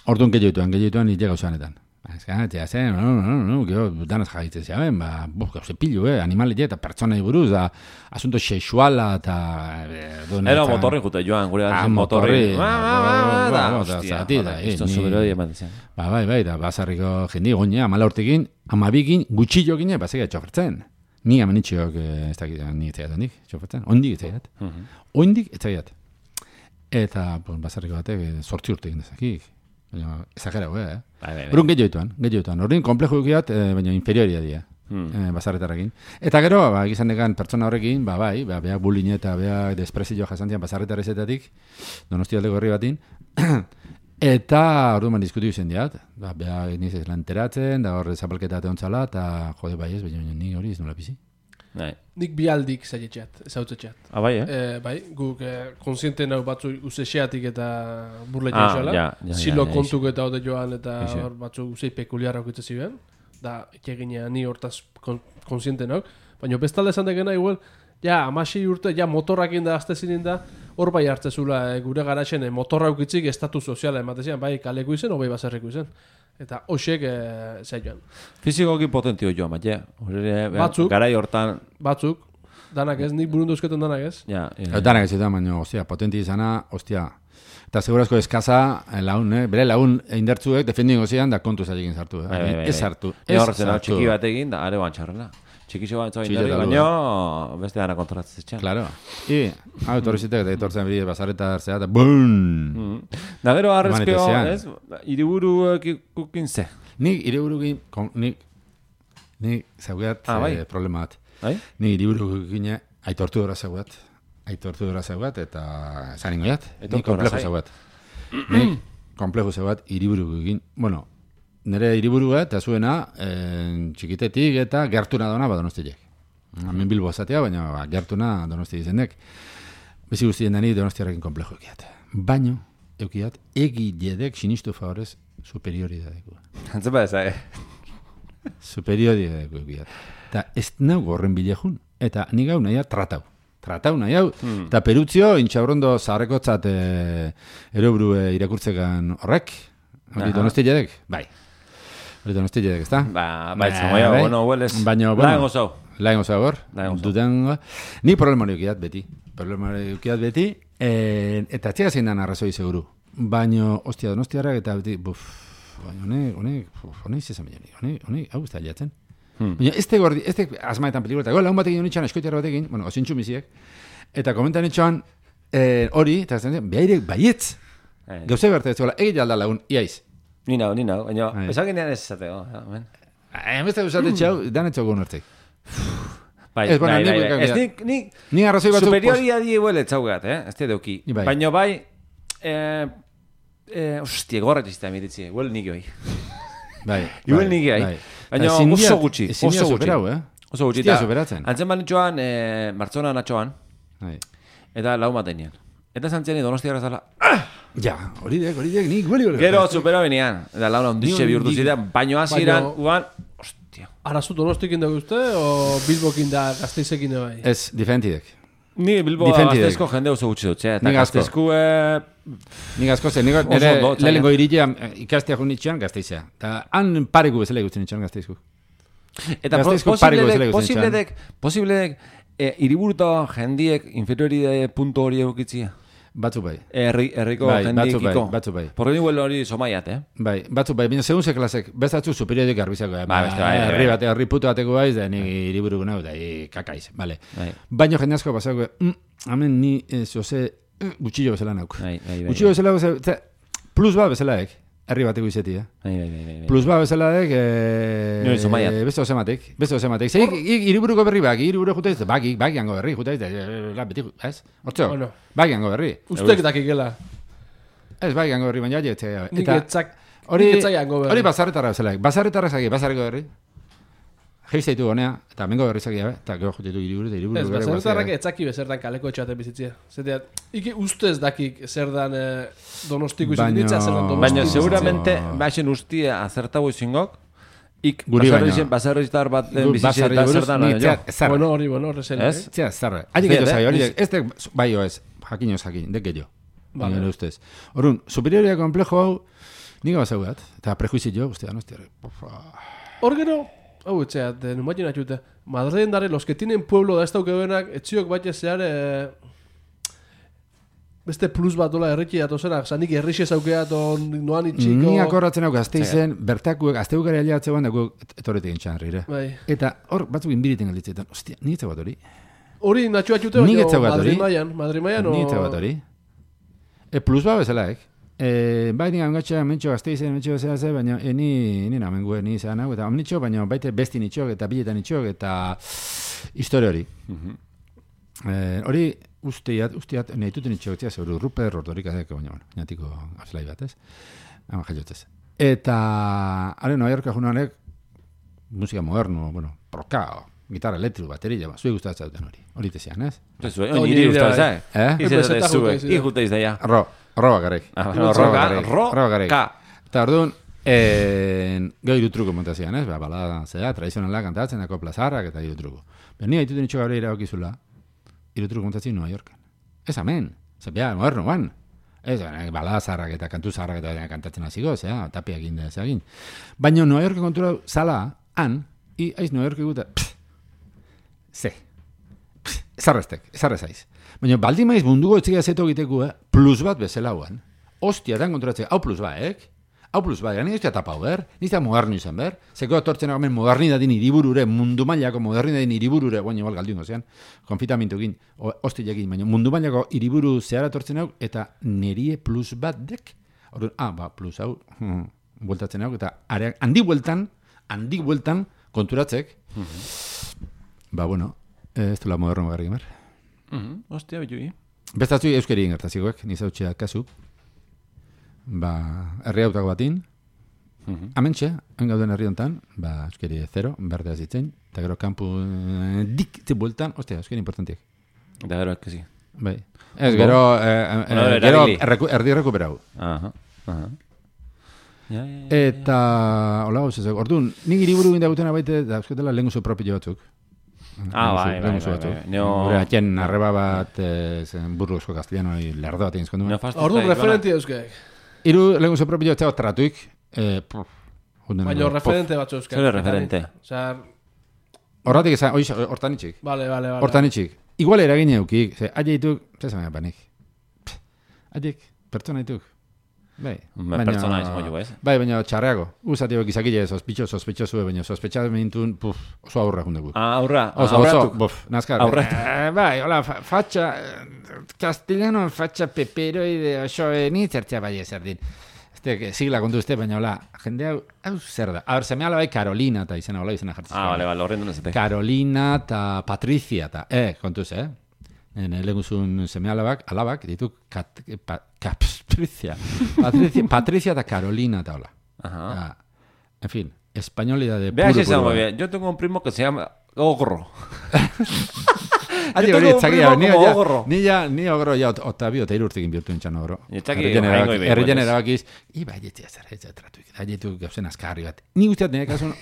orduan gehioituan, gehioituan nire gauzanetan. Ez gara, zen, no, no, no, no, gero, danaz jaitzen zeaben, ba, buf, gauze pillu, eh, animalit eta pertsonai buruz, da, asunto sexuala, eta... Era motorri jute joan, gure ah, motorri. Ba, ba, ba, ba, hostia, isto zuberoi eman zen. Ba, bai, bai, da, bazarriko jendi, goña, amala urtekin, amabikin, gutxillo gine, bazega txofertzen. Ni amenitxiok, ez dakit, ni etzaiat handik, txofertzen. Ondik etzaiat. Ondik etzaiat. Eta, pues, bazarriko batek, sortzi urtekin dezakik. Baina, exagerau, eh? Bai, bai, bai. Urun gehioituan, gehioituan. Horrein, komplejo dukiat, eh, baina inferioria dira. Hmm. Eh, bazarretarrekin. Eta gero, ba, egizan dekan pertsona horrekin, ba, bai, ba, beak bullying eta beak desprezio jasantzian bazarretarezetatik, donostialdeko herri batin, eta orduan diskutiu zen diat, ba, beak niz ez lanteratzen, da horre zapalketa teontzala, eta jode bai ez, baina ni hori ez nola bizi. Bai. Nik bialdik zaietxeat, ezautzetxeat. Ah, bai, eh? Eh, bai, guk eh, konsiente nau batzu usexeatik eta burle Ah, jaixola. ja, ja, Zilo ja, ja, kontuk eta hode joan eta Ixe. hor batzu usei pekuliarra okitze ziren. Da, eginea ni hortaz kon, konsiente nau. Baina bestalde esan degena, igual, ja, amasi urte, ja, motorrakin da, azte zinin da, hor bai hartzezula, eh, gure garaxen, eh, motorra ukitzik estatu soziala ematezian, bai kaleko izen, obai baserriko izen. Eta hoxek eh, zaioan. Fizikoki potentio joan, bat, ja. Batzuk. Garai hortan, Batzuk, danak ez, nik burundu eusketen danak ez. ja. Ja. Danak ez eta, baina, ostia, potenti izana, ostia, eta segurazko eskaza, laun, eh? Bere laun indertzuek defendingo zian, da kontu zailekin sartu, eh? Bai, bai, bai, Ez bai. sartu, E ez horretzen, sartu. txiki batekin, da, are bantxarrela. Txikixo bat zoin Txiki dara, eta baina beste dana kontratzen txan. Claro. I, hau, etorri zitek, eta etortzen bide bazarreta hartzea, eta bum! Da gero arrezkeo, Humanitatean. ez? Hiriburu kukin ze. Nik hiriburukin, kon- nik, nik zaugat Ah, bai. eh, problema bat. Bai? Nik hiriburukin aitortu dora zaugat, aitortu dora zaugat, eta zaningo jat, nik Aitortu dora komplejo zai. zaugat. Nik komplejo zaugat hiriburukin, bueno, nire hiriburua eta zuena eh, txikitetik eta gertuna dona badonostiek. Hemen Bilbo azatea, baina ba, gertuna donosti izendek. Bezi guztien dani donostiarekin komplejo ekiat. Baino, eukiat, egiledek sinistu favorez superioridadeko. Antzen ba eza, eh? Superioridadeko eukiat. Eta ez nau horren bilejun. Eta nik hau nahi hau tratau. Tratau nahi hau. Eta perutzio, intxabrondo zaharrekotzat e, erobru e, irakurtzekan horrek. Hori Aha. donostiedek? Bai. Hori donostiedek, ezta? Ba, bai, zamoia, bai. bueno, hueles. Baina, bueno. Laen gozau. Laen gozau hor. Laen gozau. Duden, ni problema hori eukiat beti. Problema hori eukiat beti. E, eta txega zein dan arrazoi seguru. Baina, ostia donostiarrak eta beti, buf, baina honek, honek, buf, honek zezan baina, honek, honek, hau ez da liatzen. Hmm. Baina, este gordi, este asmaetan pelikula, eta laun batekin honitxan, eskoitiar batekin, bueno, osintxu miziek, eta komentan itxoan, eh, hori, eta ez da, behairek baietz, Eh, gauze berta ez zola, egit alda lagun, iaiz. Ni nau, ni nau, baina, Bai. esakinean ez esateko, ja, men. Hemezte usate txau, dan etxau gun hartzik. Bai, Ez, bueno, bai, nik bai, buelka bai. Ez gira. nik, nik, Ni arrazoi batzuk... superioria di huele txaugat, eh? Ez te deuki. Bai. Baina bai, eh, eh, ostia, gorrak iztea miritzi, huel nik hoi. Bai, Igual nik gai. Baina Ezin oso diat- gutxi, ezin oso diat gutxi. superau, eh? Oso gutxi. Ez dira eta superatzen. Antzen banitxoan, eh, Martzona natxoan, Bai. Eta lau matenean. Eta zantziani donostiara zala. Ja, hori dek, hori dek, nik gueli hori. Gero supero benean. Eta launa onditxe Ni- bihurtu ni- ziren, baino hasieran Baino- uan, hostia. Arazu donostikin dugu uste, o Bilbokin da Gasteizekin da bai? Ez, diferentidek. Ni Bilbo Difentidek. gazteizko jende oso gutxi dut, eta Nik asko. gazteizku eh, Nik asko zen, nik Oso nire ondo, txaila. lehenengo iritea ikastea jo nitxean gazteizea. Eta han pareku bezala ikusten nitxean gazteizku. Eta Gazteizko pareko bezala posibledek, ikusten posibledek, posibledek, eh, hiriburuta jendiek inferioride punto hori eukitzia. Batzu bai. Herri, herriko Bai, batzu jendiekiko. bai, batzu bai. Porque ni huele hori somaiat, eh? Bai, batzu bai, baina segun ze klasek, bezatzu superiorek garbizako. Eh? Ba, beste bai, bai, herri bai. bate, herri puto bateko baiz, da ni hiriburuko nau, da hi kakaiz, vale. Bai. Baina jende asko pasako, mm, hemen ni eh, zoze eh, gutxillo bezala nauk. Bai, bai, bai. Gutxillo bezala, bezala, ze- plus ba bezalaek, herri bateko izeti, eh? Bai, bai, bai, bai, bai. Plus ba bezalaek, eh, Nire zumaiat. beste osematek, beste osematek. Zeik, hiriburuko berri bak, hiriburu jutaiz, baki, baki hango berri, jutaiz, la, beti, ez? Hortzo, Bueno. baki hango berri. Ustek dakikela. Ez, baki hango berri, baina jetzea. Nik etzak, Hori, nik etzaiango berri. hori bazarretara bezalaek, bazarretara zaki, bazarreko berri. Geizaitu honea, eta mengo berri zaki, eta gero jutetu hiriburu, eta hiriburu Ez, bere baserritarrak guazea. etzaki bezertan kaleko etxaten bizitzia. Zetea, iki ustez dakik zer dan eh, donostiko Baino- izaten zer dan Baina donostiko. seguramente, baixen ustia azertago izingok, ik Guri baino. baserri- baserritar bat Gu- bizitze basarri eta buruz, zer dan ni jo. zer- zer. Bueno, hori, bueno, horrezen. Ez? Zea, zarra. Hatik Zet, eto eh? zai, hori, Ez- ez tek, bai jo ez, jakin ez jakin, dek gehiago. Vale. Baina ustez. Horun, superioria komplejo hau, nik gau bat, eta prejuizi jo, ustea, no, ustea, Hor gero, hau etxea, de numatzen atxute, Madriden dare, los que tienen pueblo da ez dauke benak, etxiok bat zear, eh, beste plus bat dola erriki datozenak, zanik errixe zaukea ton noan itxiko. Ni akorratzen hau gazteizen, bertakuek, azteukari aliatze guan, dago etorretik entxan herrire. Bai. Eta hor, batzuk inbiriten galditzetan, ostia, ni etze bat hori. Hori natxu atxute, Nik baina ez zaukat Madrid hori. maian, Madrid maian, Ni etze bat hori. E plus ba bezalaek. E, bai nik angatxa mentxo gazteizen, mentxo bezala ze, baina e, ni, ni namen gue, ni zean hau, eta amnitxo, baina baite besti nitxok, eta biletan nitxok, eta historia hori. Eh, hori usteat, usteat, nahi duten nitxok, tia, zeuru Ruper, Ordorik adeko, baina, bueno, natiko azlai bat, ez? Hama jaiotez. Eta, haren, Nueva Yorka junanek, musika moderno, bueno, proka, gitarra elektriko, bateria, ba, zuek gustatzen duten hori. Hori tezian, ez? Zue, Hori niri nire gustatu bai. zai. Eh? Izan Bezeta zue, jute izan. ikute izan ja. Ro, ro bakarrik. Ah, Ro roka, bakarrik, ro bakarrik. roka. Eta orduan, eh, gero irutruko montazian, ez? Ba, balada, zera, tradizionala kantatzen, dako plazarrak eta irutruko. Baina ni haituten itxo gabre irabakizula, irutruko montatzen Nueva Yorken. Ez amen, zepia, moderno, ban. Ez, eh, balada zarrak eta kantu zarrak eta kantatzen hasiko, zera, tapiak inda, zera egin. Baina Nueva Yorken kontura zala, han, i, aiz Nueva Yorken guta, pff, ze, pff, ezarreztek, ezarrezaiz. Baina baldin maiz munduko etxekia zeto egiteko, eh, plus bat bezala huan. Ostia, dan konturatzea, hau plus baek, hau plus baek, nire ustea tapau ber, nire moderno izan ber, zeko atortzen agomen modernidadin iriburure, mundu mailako modernidadin iriburure, guain igual galdiungo zean, konfitamintukin, hostilekin, baina mundu mailako iriburu zehara atortzen hau, eta nerie plus bat dek, orduan, ah, ba, plus hau, hmm, bueltatzen hau, eta areak, handi bueltan, handi bueltan, konturatzek, ba, bueno, eh, ez dela moderno garri gemer. Mhm, Ostia, bitui. Bestatzu euskeri ingertazikoek, nizautxea kasu. Ba, herri hautako batin. Amentxe, hain gauden herri hontan, ba, euskeri zero, berdea zitzen. Eta gero kampu eh, dik ze bueltan, ostia, euskeri importantiek. Eta gero eskezi. Bai. Ez, gero, eh, eh, Bueno, gero erabili. erreku, erdi rekuperau. Aha, aha. Ja, ja, ja. Eta, hola gauz ezak, orduan, nik iriburu indagutena baite, da euskotela lenguzu propio batzuk. Ah, bai, bai, Lenguzu bai, batzuk. bai. Neo- Gure atxen arreba bat, eh, zen burruzko castellano, lerdo bat egin zkondu. Neofasto Ordu zait, referenti euskek. Iru lenguzu propio batzuk tratuik, eh, puf, junden Baina edo, referente batzu euskek. Zer referente? Osea, Horratik esan, oiz, hortan itxik. vale, vale, vale. Hortan itxik. Igual eragin eukik. Ze, aile dituk, zer zama panik. Aiek, pertsona dituk. Bai. Me pertsona izango jo, ez? Bai, baina txarreago. Uzatio gizakile sospitxo, sospitxo baina sospetxaz mintun, puf, oso aurra jundegu. Ah, aurra, Oso, oso, aurratuk. buf, nazkar. Aurratu. Eh, bai, hola, fa, fatxa, eh, castellano, fatxa, peperoide, oso, eh, ni zertzea bai ezer din. Este, sigla kontu uste, baina hola, jende hau, hau zer da. A ber, semea bai Carolina, eta izena, hola, izena jartzen. Ah, vale, vale, horren duen ezate. Carolina eta Patricia eta, eh, kontuz, eh? Nene, leguzun seme alabak, alabak, ditu kat, pa, Patricia. Patricia, Patricia eta Carolina eta hola. Ajá. Ah, en fin, españolidad de Vea si puro, está puro. muy bien. Yo tengo un primo que se llama Ogro. Adi Yo hori tengo un etzakia, primo ni como ja, ogorro. ni ja, ni ogorro ja, Otavio eta irurtekin bihurtu nintzen ogorro. Etzaki, Herrian oraingo erabaki- ibe, herrian pues. erabakiz, iba, jetzia zer, jetzia tratuik, jetu gauzen azkarri bat. Ni guztiat nire kasun,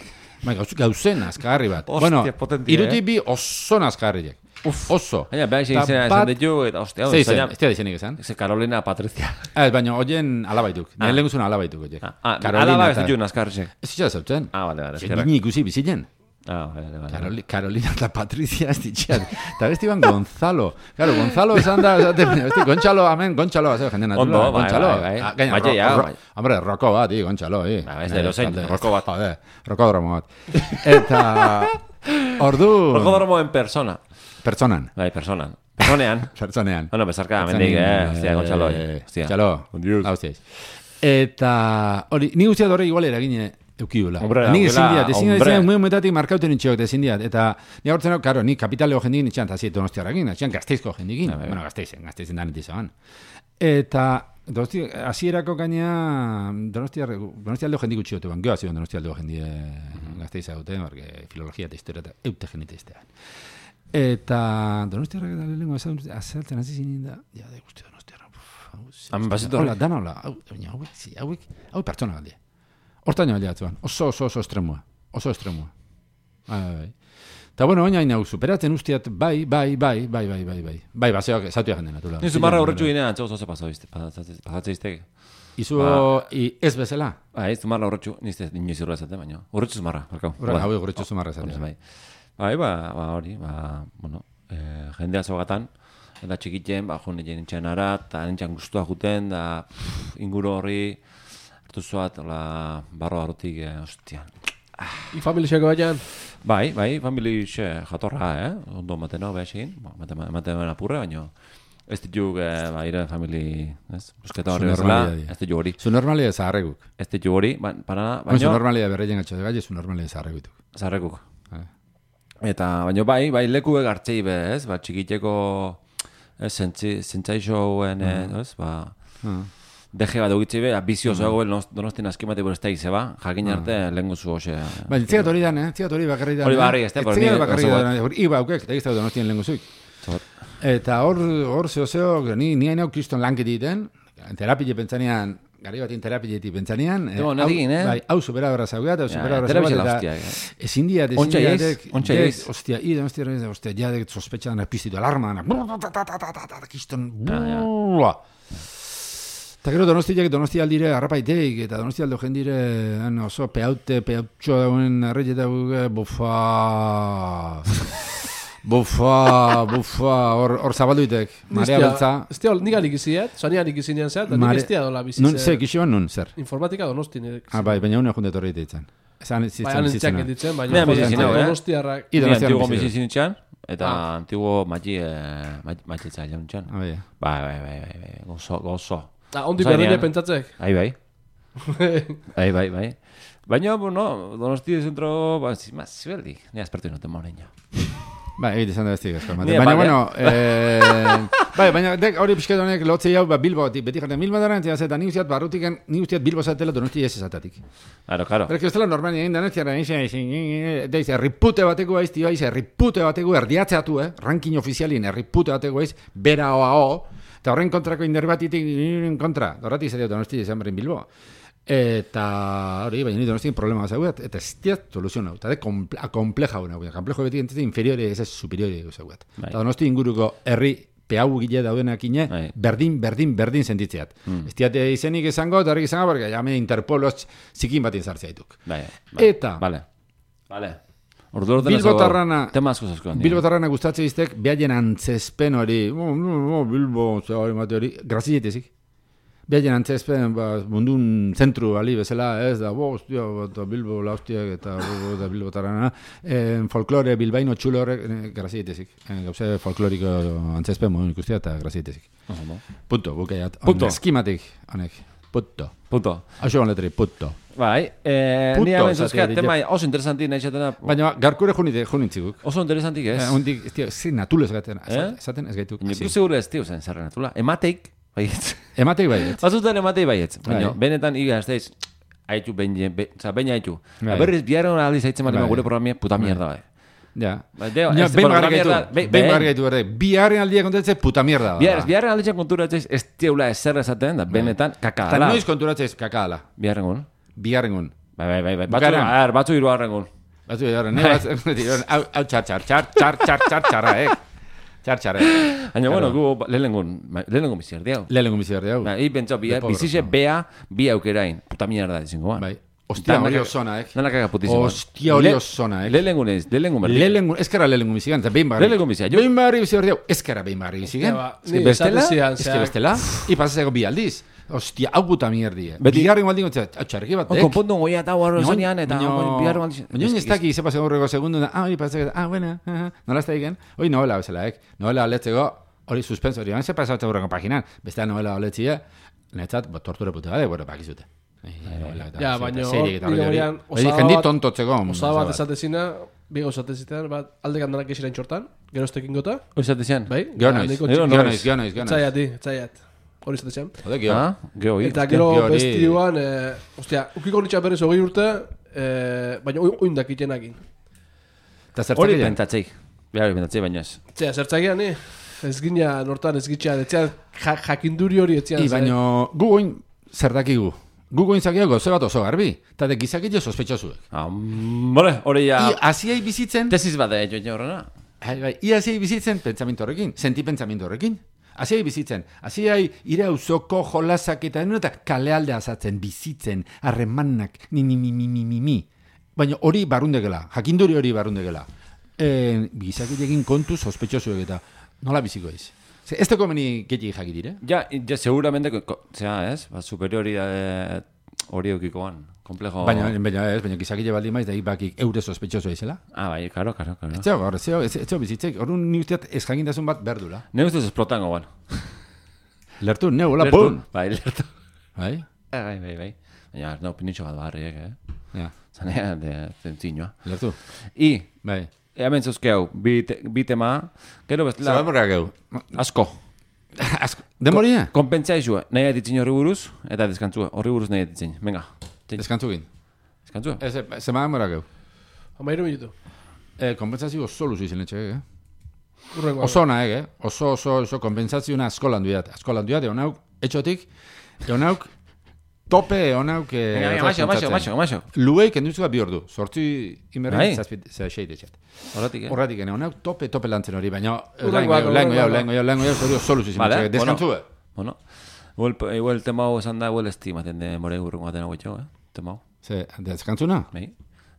bai, gauz- gauzen azkarri bat. Hostia, Bueno, potentia, iruti eh? bi oso azkarriek. Oso. Baina, behar Ta izena bat- esan ditu, eta ostia, Ze izen, zaina- ez dira izenik esan. Ze Carolina Patricia. Ez, baina hoien alabaituk. Ah. Nire lehenguzun alabaituk hoiek. Ah, ah, Carolina alaba ez eta- ditu nazkarrizek. Ez itxera zautzen. Ah, bale, bale, Ze eskerrak. Nini ikusi bizilen. Ah, bale, bale. Caroli, Carolina eta Patricia ez ditxean. Eta besti ban Gonzalo. Claro, Gonzalo esan da, esaten, besti, Gontzalo, amen, Gontzalo, ez jenden natula. Ondo, bai, Gontzalo. bai, bai. Ah, gaina, Bai, ro- ja, ro- bai. Hombre, roko bat, i, Gontzalo, i. Ba, ez da edozein, Talde- roko bat. Jode, rokodromo bat. Eta, ordu... Rokodromo en persona. Pertsonan. Bai, personan. Personean. Pertsonean. Bueno, bezarka, mendik, eh, hostia, Gontzalo. Hostia. Gontzalo, Ondiuz. haustiaiz. Eta, hori, ni guztiat horre igual eragine eukiula. Hombre, Ni ezin aukela, diat, ezin diat, hombre. ezin diat, muy metatik markauten nintxeok, ezin diat. Eta, ni agortzen, karo, ni kapitaleo jendikin nintxean, eta ziet donostiarrakin, nintxean gazteizko jendikin. Ah, bai, bai. Bueno, gazteizen, gazteizen da nitizaban. Eta, donosti, hasierako gaina, donostiar, donostialdeo jendik utxiote ban, geoa zion donostialdeo jendie gazteiza dute, porque filologia eta historia eta eute jendite iztean. Eta, donostiarrak eta lehenko azaltzen hasi zinin da, ja, de guzti donostiarra. Han bazitu Hola, horri. dan hola, hau, baina hauek, zi, hauek, hauek pertsona galdi. Hortaino galdi batzuan, oso, oso, oso estremua, oso estremua. Bai, bai, bai. Eta bueno, oinain hau, superatzen ustiat, bai, bai, bai, bai, bai, bai, bai. Bai, baseoak, zautu jenden natula. Nizu marra horretxu ginean, antzo oso paso izte, pasatze izteke. Izu, Ba. i, ez bezala. Ba, ez zumarra horretxu, nizte inoiz irroa ezaten, baina. Horretxu zumarra, barkau. Horrek, hau egurretxo zumarra esatea. Bai, bai, ba, ba, hori, ba, bueno, eh, jendea zogatan, eta txikitzen, ba, jo, nintzen ara, eta nintzen guztua juten, da, pff, inguru horri, hartu zoat, la, barro barotik, eh, ostian. I familixako baian. Bai, bai, familixe jatorra, eh? Ondo maten hau behar egin, ba, maten apurre, baina ez dituk, eh, ba, ire famili, ez? Busketa horri Zu bezala, normalia, ez ditu hori. Zu normalia zaharreguk. Ez ditu hori, ba, para, Baina, zu baina, normalia berreien gatxo de galle, zu normalia zaharregutuk. zarrekuk. Eh. Eta, baina bai, bai, lekuek hartzei be, ez? Ba, txikiteko, ez, zentzaixoen, ez? Ba, deje bat dugitzi be, bizioso egoen donostin askimate bur ez da izeba, jakin arte lehen guzu hoxe. Baina, tzigat hori dan, eh? Tzigat hori bakarri dan. Hori barri, ez da, por Tzigat ni bakarri oso dan, hori iba aukek, eta gizta donostien lehen guzuik. Eta hor, hor zeo zeo, ni, ni hainau kriston lankit egiten, terapile pentsanean, gari batin terapileti pentsanean, Ego, nadigin, eh? Bai, hau supera berra zaugat, hau Ja, supera berra terapia zaugat, la eta hostia, eh? ezin diat, ezin Ontsa diat, iez, ontsa dek- iez. Ostia, i, ostia, ostia, ja, dek sospetxan piztitu alarma, kiston, ja. buah. Eta gero donostiak donosti aldire harrapaiteik, eta donosti aldo jendire han oso peaute, peautxo dauen arreit eta guge, bufa... bufa, bufa, hor, hor zabalduitek, marea beltza. Ez tia, nik alik iziet, zanian ikizinean zea, eta nik Mare- ez tia dola bizi. Nun, ze, kixiban nun, zer? Informatika donosti nire. Ah, bai, baina une jundet horri ditzen. Esan Bai, zitzen han zitzen. entxak ditzen, Nea baina bizi zinau, eh? donostiarrak. I Ni donostian antiguo bizi bizi zinitxan, eta Ah. antiguo mati, matitza jaunitxan. Ah, bai. Bai, bai, bai, bai, bai, gozo, gozo. Ah, ondi Zainean. berdine pentsatzek. Bai, bai. Bai, bai, bai. Baina, bueno, donosti zentro, ba, zima, zibeldik. Ni aspertu inoten moreina. Bai, egite izan da bestik asko. Ni Baina, aparte. bueno, eh, bai, baina dek hori pixket honek lotzei hau ba, Bilbo, beti jarten Bilbo dara, entzia zeta, ni usteat barrutiken, ni usteat Bilbo zatela donosti ez ezatatik. Claro, claro. Pero que ez dela normali egin danetziara, deiz, erripute bateko aiz, tio aiz, erripute bateko erdiatzeatu, eh? Ranking ofizialin erripute bateko aiz, bera oa o, eta horren kontrako inder batitik, kontra, horretik zer donosti izan berin Bilbo. Eta hori, baina ni donostin problema zauet, eta ez diat soluzionau, eta de kompleja hona, komplejo beti entzete inferiori, ez ez superiori zauet. Bai. Eta donosti inguruko herri peau gile daudenak ine, Bai. berdin, berdin, berdin sentitzeat. Mm. Ez diate izenik izango, eta horrik izango, porque jame Interpolos zikin batin zartzea dituk. Bai, bai. Eta- Vale. Vale. Ordu ordena Bilbotarrana, tema asko zasko. Bilbotarrana gustatze iztek, behaien antzespen hori, oh, no, no, Bilbo, zera hori mate hori, grazietezik. Behaien antzespen, ba, mundun zentru ali bezala, ez da, bo, ostia, eta Bilbo, la hostiak, eta, eta Bilbotarrana, eh, folklore bilbaino txulo horrek, eh, grazietezik. Eh, gauze folkloriko antzespen modun ikustia, eta grazietezik. Punto, bukaiat. Punto. Eskimatik, honek. Punto. Punto. Hau gon letri, punto. Bai, eh, Puto, ni hemen esatea zuzkat, ditu. tema oso interesanti nahi xatena. Baina, garkure junite, junintziguk. Oso interesantik ez. Eh, Hundik, ez tio, zin natulo esaten, Eh? esaten ez gaituk. Nik segure ez tio zen zerren atula. Emateik, baietz. Ematek baiet. Batzutan ematei baietz. Baina, Bai. benetan iga ez daiz, haitu behin, be, oza, behin haitu. Bai. Berriz biaren aldiz haitzen bali Bai. gure programia puta mierda bai. Ja. Ba, deo, Ja, ez, behin bueno, bakarrik gaitu, mierda, be- behin be- bakarrik gaitu berde. Biharren aldia kontatzez puta mierda da. Bihar, biharren alditzen konturatzeiz ez teula ezer esaten, da benetan kaka Eta dala. noiz konturatzez kakala. Biharrengun. Biharrengun. Bai, bai, bai, bai. Batzu, Bukaeran. a ver, batzu hirugarrengun. Batzu edo, ne bat, hau hau txar, txar, txar, txar, txar, txar, txarra, eh? Txar, txarra, eh? Baina, bueno, gu lehenengun, lehenengun bizi erdiau. Lehenengo bizi berdi hau. Ba, hi pentsau, De pobres, bizize no. bea, bi aukerain. Puta mierda dizingo, ba. Bai. Ostia, hori osona, eh? Nala kaga putizimo. Ostia, hori osona, eh? Lehenengun ez, lehenengun berdi. Lehenengo, ezkara lehenengo bizigan, eta behin barri. Lehenengo bizia, jo- Behin barri bizi berdi hau, ezkara behin barri bizigan. ba, Eske ni bestela, esaten zian, eske zeak- bestela, ipasazeko bi aldiz. Ostia, hau puta mierdi, eh? Beti- Bigarren baldin gotzea, txarriki bat, Oh, konpondu goia eta guarro Baina- zanean, eta baina- biharro aldiz. Baina ez daki, zepa segurreko segundu, da, ah, hori pasako, ah, bueno, ah, nola ez da egin? Hori novela bezala, ek? Novela aletzeko, hori suspenso, hori, zepa esatze burreko paginan, bestea novela aletzia, netzat, bo, tortura puta bade, bueno, bakizute. Ja, baina hor, hori, nire horian, osaba jendi bat- tontotzeko. Osaba bat esatezina, bi gauzatezitean, bat aldekan danak esiren txortan, geroztekin gota, Oizatezian? bai? Gero Eta noiz, nahiko gero txiki- noiz, gero noiz, gero noiz. Etzaiat, di, etzaiat. Hori esatezian. Jode, gero. Ah, gero hori. Eta gero hori- bestioan, eh, ostia, ukiko nitxa berriz hogei urte, eh, baina oin- oindak itenakin. Eta Hori zertzak egin? pentsatzeik. Bihar hori pentsatzeik, baina ez. Zea, zertzakean, ni? Ez gina nortan ez gitxean, etzean ja, jakinduri hori etzean. I, ze- baino, gu goin, zer dakigu? Gu goin zakiago, gozo bat oso garbi. Eta de gizakitio sospetxosuek. Ah, bale, hori ja... I, hasiai bizitzen, Tesis bat da, jo, jo, horrena. Bai, bai, ia hasiai bizitzen pentsamentu horrekin, sentipentsamentu horrekin. Hasiai bizitzen, hasiai ire auzoko jolasak eta enu eta kalealde azatzen, bizitzen, harremanak, ni ni mi mi mi mi mi. Baina hori barrundegela, jakinduri hori barrundegela. E, gizakitekin kontu sospetxosuek eta nola biziko ez? Ze, ez teko meni gehiagik jakitire? Ja, ja, seguramente, ko- ko- zera, ez? Ba, superiori eh, hori eukikoan. Komplejo... Baina, baina ez, baina gizakite baldin maiz, da bakik eure sospetxosu ezela. Ah, bai, karo, karo, karo. Ez zego, gaur, ez zego, ez zego bizitzek, orduan ni usteat ez jakintasun bat berdula. Ne ustez esplotango, bueno. Lertu, ne, hola, Lertu. pum! Bai, lertu. Bai? Bai, bai, bai, bai. Baina, no, pinitxo bat barriek, eh? Ja, Zanea, de, zentzinoa. lertu. I, Bai. hemen zuzkeu, bi, te, bi tema, gero bestela, Zabalborra geu. asko. Asko. Demoria? Konpentzia izue, nahi aditzin horri buruz, eta deskantzua, horri buruz nahi aditzin. Venga, Deskantzukin. deskantzua. Ez, zema demora geu. Amairu minutu. Eh, kompensazio oso luzu izan etxe, eh? Urrengo. Oso nahi, eh? Oso, oso, oso kompensazioa asko landu diat. Asko landu diat, egon hauk, etxotik, egon hauk, tope egon hauk... Venga, venga, maixo, maixo, maixo, maixo. Lueik enduzua bi ordu. Sortzi Bai. inberri, zazpit, zazpeit etxet. Horretik, eh? Horretik, egon hauk, tope, tope lantzen hori, baina... Urrengoak, Lengo jau, urrengoak. lengo jau, lengo jau, hori oso luzu izan Vale, etxe. Deskantzue. Bueno, igual, igual tema hau esan da, igual estimaten de more urrengo baten hau etxo, eh? Tema hau, Ze, deskantzuna? bai?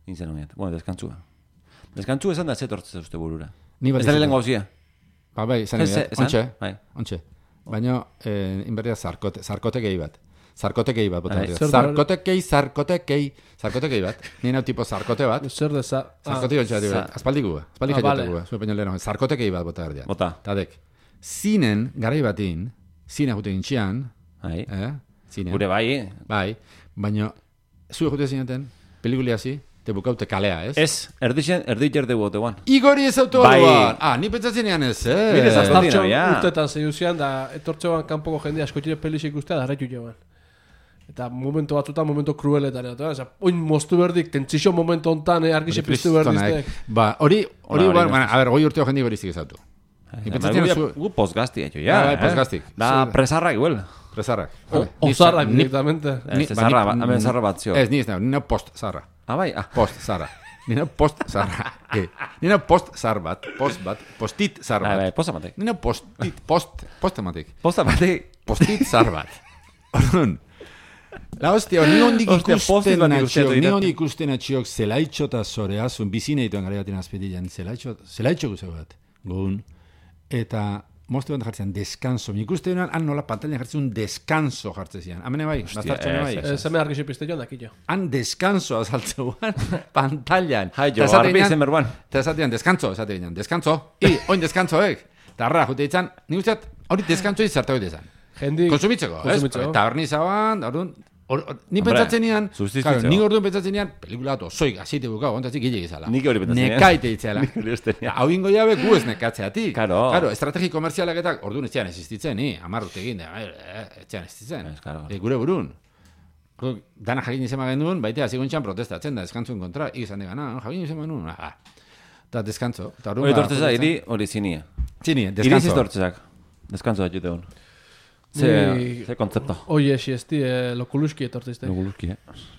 Nintzen honetan. Bueno, deskantzua. Deskantzua esan da zetortzea uste burura. Ni bat Ez da izan. lehen gauzia. Ba, bai, izan Ez, dira. esan? Ontxe, Bai. ontxe. Baina, eh, inberria zarkote, zarkotekei bat. Zarkotekei bat, bota Bai. berria. Zer da hori? Zarkotekei, zarkotekei, zarkotekei bat. Ni nau tipo zarkote bat. Zer deza... Ah, Zarkotekei bat, za- aspaldiku bat. Aspaldi Ah, jaiotek vale. bat. Zue peño leheno. Zarkotekei bat, bota berria. Bota. Tadek. Zinen, garai batin, zine jute gintxian, Bai. eh? Zinen. Gure bai, eh? Bai, baina, zue jute zineten, pelikulia zi, te bukaute kalea, ez? Ez, erdixen, erdit jerde bote guan. Igori ez auto Bai. aluan! Ah, ni pentsatzen ean ez, eh? Bide zazta- Zartxon Ordina, ja. urtetan zeiuzian, da etortzean kanpoko jendea askotire pelix ikustea, da arretu joan. Eta momento batzutan, momento krueletan. Eta, oza, oin moztu berdik, tentzixo momento hontan, eh, argixe piztu berdiztek. Ba, hori, hori, Hori, ba, hori, bueno, a ver, goi urteo jendi goriztik ez autu. Ni pentsatzen Gu, zu, gu postgazti, etxo, ja. Ah, bai, eh? postgaztik. Da, Zu- presarrak, igual. presarrak. O- Ni- Ozarrak ni- directamente. Ez, ni- zarra, ba, ni- hemen zarra bat zio. Ez, ni ez nahi, ni nau post zarra. Ah, bai, ah. Post zarra. Ni nau post zarra. Eh, Ni nau post zar bat, post bat, postit zar Bai, bai, bat. posta matek. Ni nau postit, post, postematik. Posta matek. Postit zar bat. Orduan, la hostia, ni ondik Hostia, postit ikusten bat atxiok, ikusten ni dut. ondik ikusten atxiok zelaitxo eta zoreazun, bizine dituen gara batin azpetilean, zelaitxo, zelaitxo guzeu bat, gogun, eta moztu bat jartzen deskanso, mi ikusten duan, han nola pantailan jartzen un deskanso jartzen zian, amene bai, bastartxone bai, ez, Ez hemen argixe pizte joan dakillo. han deskanso azaltzeuan, pantailan, Hai, jo, Ta esaten arbi ginen- zen berban. eta esatean, deskanso, esaten ginen, deskanso, i, oin deskansoek, eta arra, jute ditzan, nik usteat, hori deskanso izartu hori dizan. Jendi... Konsumitzeko, ez? Kontsumitzeko. Tabernizaban, orduan, or, or, ni Hombre, pentsatzen nian, sustituitzeko. claro, ni orduan pentsatzen nian, pelikula bat osoik, azite bukau, ontatzik gile gizala. Nik hori pentsatzen nian. Nekaite itzela. Nik hori uste nian. Hau ingo jabe gu ez nekatzeatik. Claro. Claro, estrategi komerzialak eta orduan ez zian existitzen, ni, amar urte egin, da, eh, ez zian existitzen. Ez, claro. E, gure burun. Gu- Dana jakin izan genuen, baita hasi gontxan protestatzen da, eskantzuen kontra, igizan degana, jakin izan genuen, ah. Eta deskantzo. Eta orduan Hori ba, tortzeza, iri hori zinia. Zini, Iri deskantzo. ziztortzezak. Deskantzo da jute hon. Ze, Ni- ze kontzepto. Oie, xiesti, eh, lokuluski etortzizte. Guluzki, eh?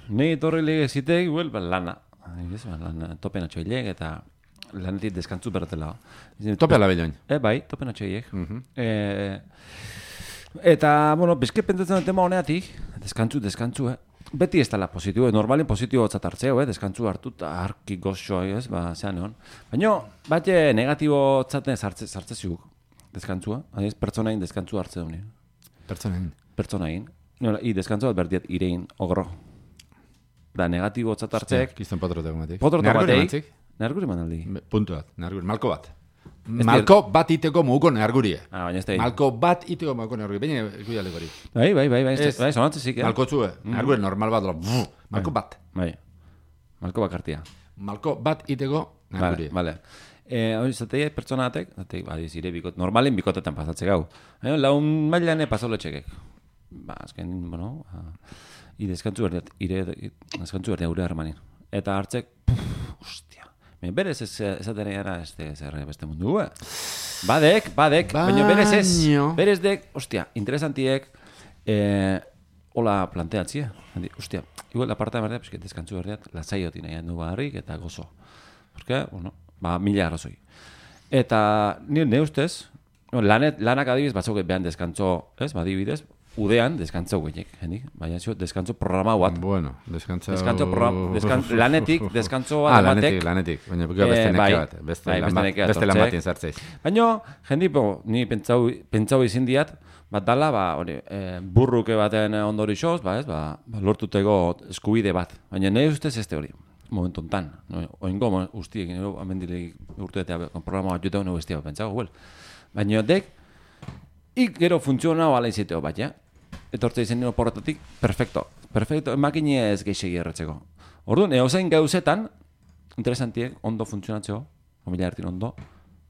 Nei torri lege zitek, huel, ba, lana. Ez, ba, lana, topen atxoilek, eta lanetik deskantzu bertela. Tope ala belloin. E, bai, topen atxoilek. Eh, eta, bueno, bezke pentsatzen tema honeatik, deskantzu, deskantzu, eh? Beti ez dela positibo, normalin positibo gotzat hartzeo, eh? Deskantzu hartu eta harki goxo, ez, ba, zean egon. Baina, bat negatibo tzaten sartze ziguk, deskantzua, adiz, pertsonain deskantzu hartze duen. Pertsonen. Pertsonain. Nola, i deskantzu bat berdiat irein ogro. Da, negatibo gotzat hartzek, Kiston potrote gumatik. potroto batei, neharguri manaldi. Puntu bat, neharguri. Malko bat. Malko bat iteko muguko nehargurie. Ah, baina ez da. Malko bat iteko muguko nehargurie. Baina, ikuialek hori. Bai, bai, bai, bai, Ez. bai, sonatze zik, eh? Malko txue. Nehargurie normal bat. dola, Malko bat. Bai. Malko bakartia. Malko bat iteko Vale, nehargurie. vale. Eh, hori zatei pertsonatek, zatei, badiz, ire bikot, normalin bikotetan pasatze gau. Eh, laun mailan pasoletxekek. Ba, azken, bueno, ba, i deskantzu berdiat, ire, deskantzu berdiat gure harmanin. Eta hartzek, puf, ostia. Me berez ez esaten era este zer beste mundu, eh? Badek, badek, baina berez ez. Baino. Berez dek, ostia, interesantiek, eh, hola planteatzia. Handi, ostia, igual aparta berdiat, pues que deskantzu berdiat, lasaioti nahi handu baharrik eta gozo. Porque, bueno, ba, mila arrazoi. Eta, ni ne ustez, no, lanet, lanak adibidez, batzuk behan deskantzo, ez, badibidez, udean deskantzo guenek, hendik, baina zio, deskantzo programa bat. Bueno, deskantzo... Deskantzo programa, deskan, lanetik, deskantzo bat Ah, ematek. lanetik, lanetik. Baina beste Eh, neke bai, bat. Beste bai, lan beste bat- nekea beste lan etortzek. batin zartzeiz. Baina, jendi, bo, ni pentsau, pentsau izin diat, bat dala, ba, hori, e, burruke baten ondori xoz, ba, ez, ba, ba, lortuteko eskubide bat. Baina nahi ustez ez hori, momentu ontan. No, oingo, mo- guztiek, nero, amendileik urteetea programa bat juteu, nago bestia, pentsago, well. Baina dek, ik gero funtzionau ala iziteo bat, ja? Etortze izen nero porretatik, perfecto. Perfecto, emakine ez geixegi erretzeko. Orduan, eozein gauzetan, interesantiek, ondo funtzionatzeko, familia ertin ondo,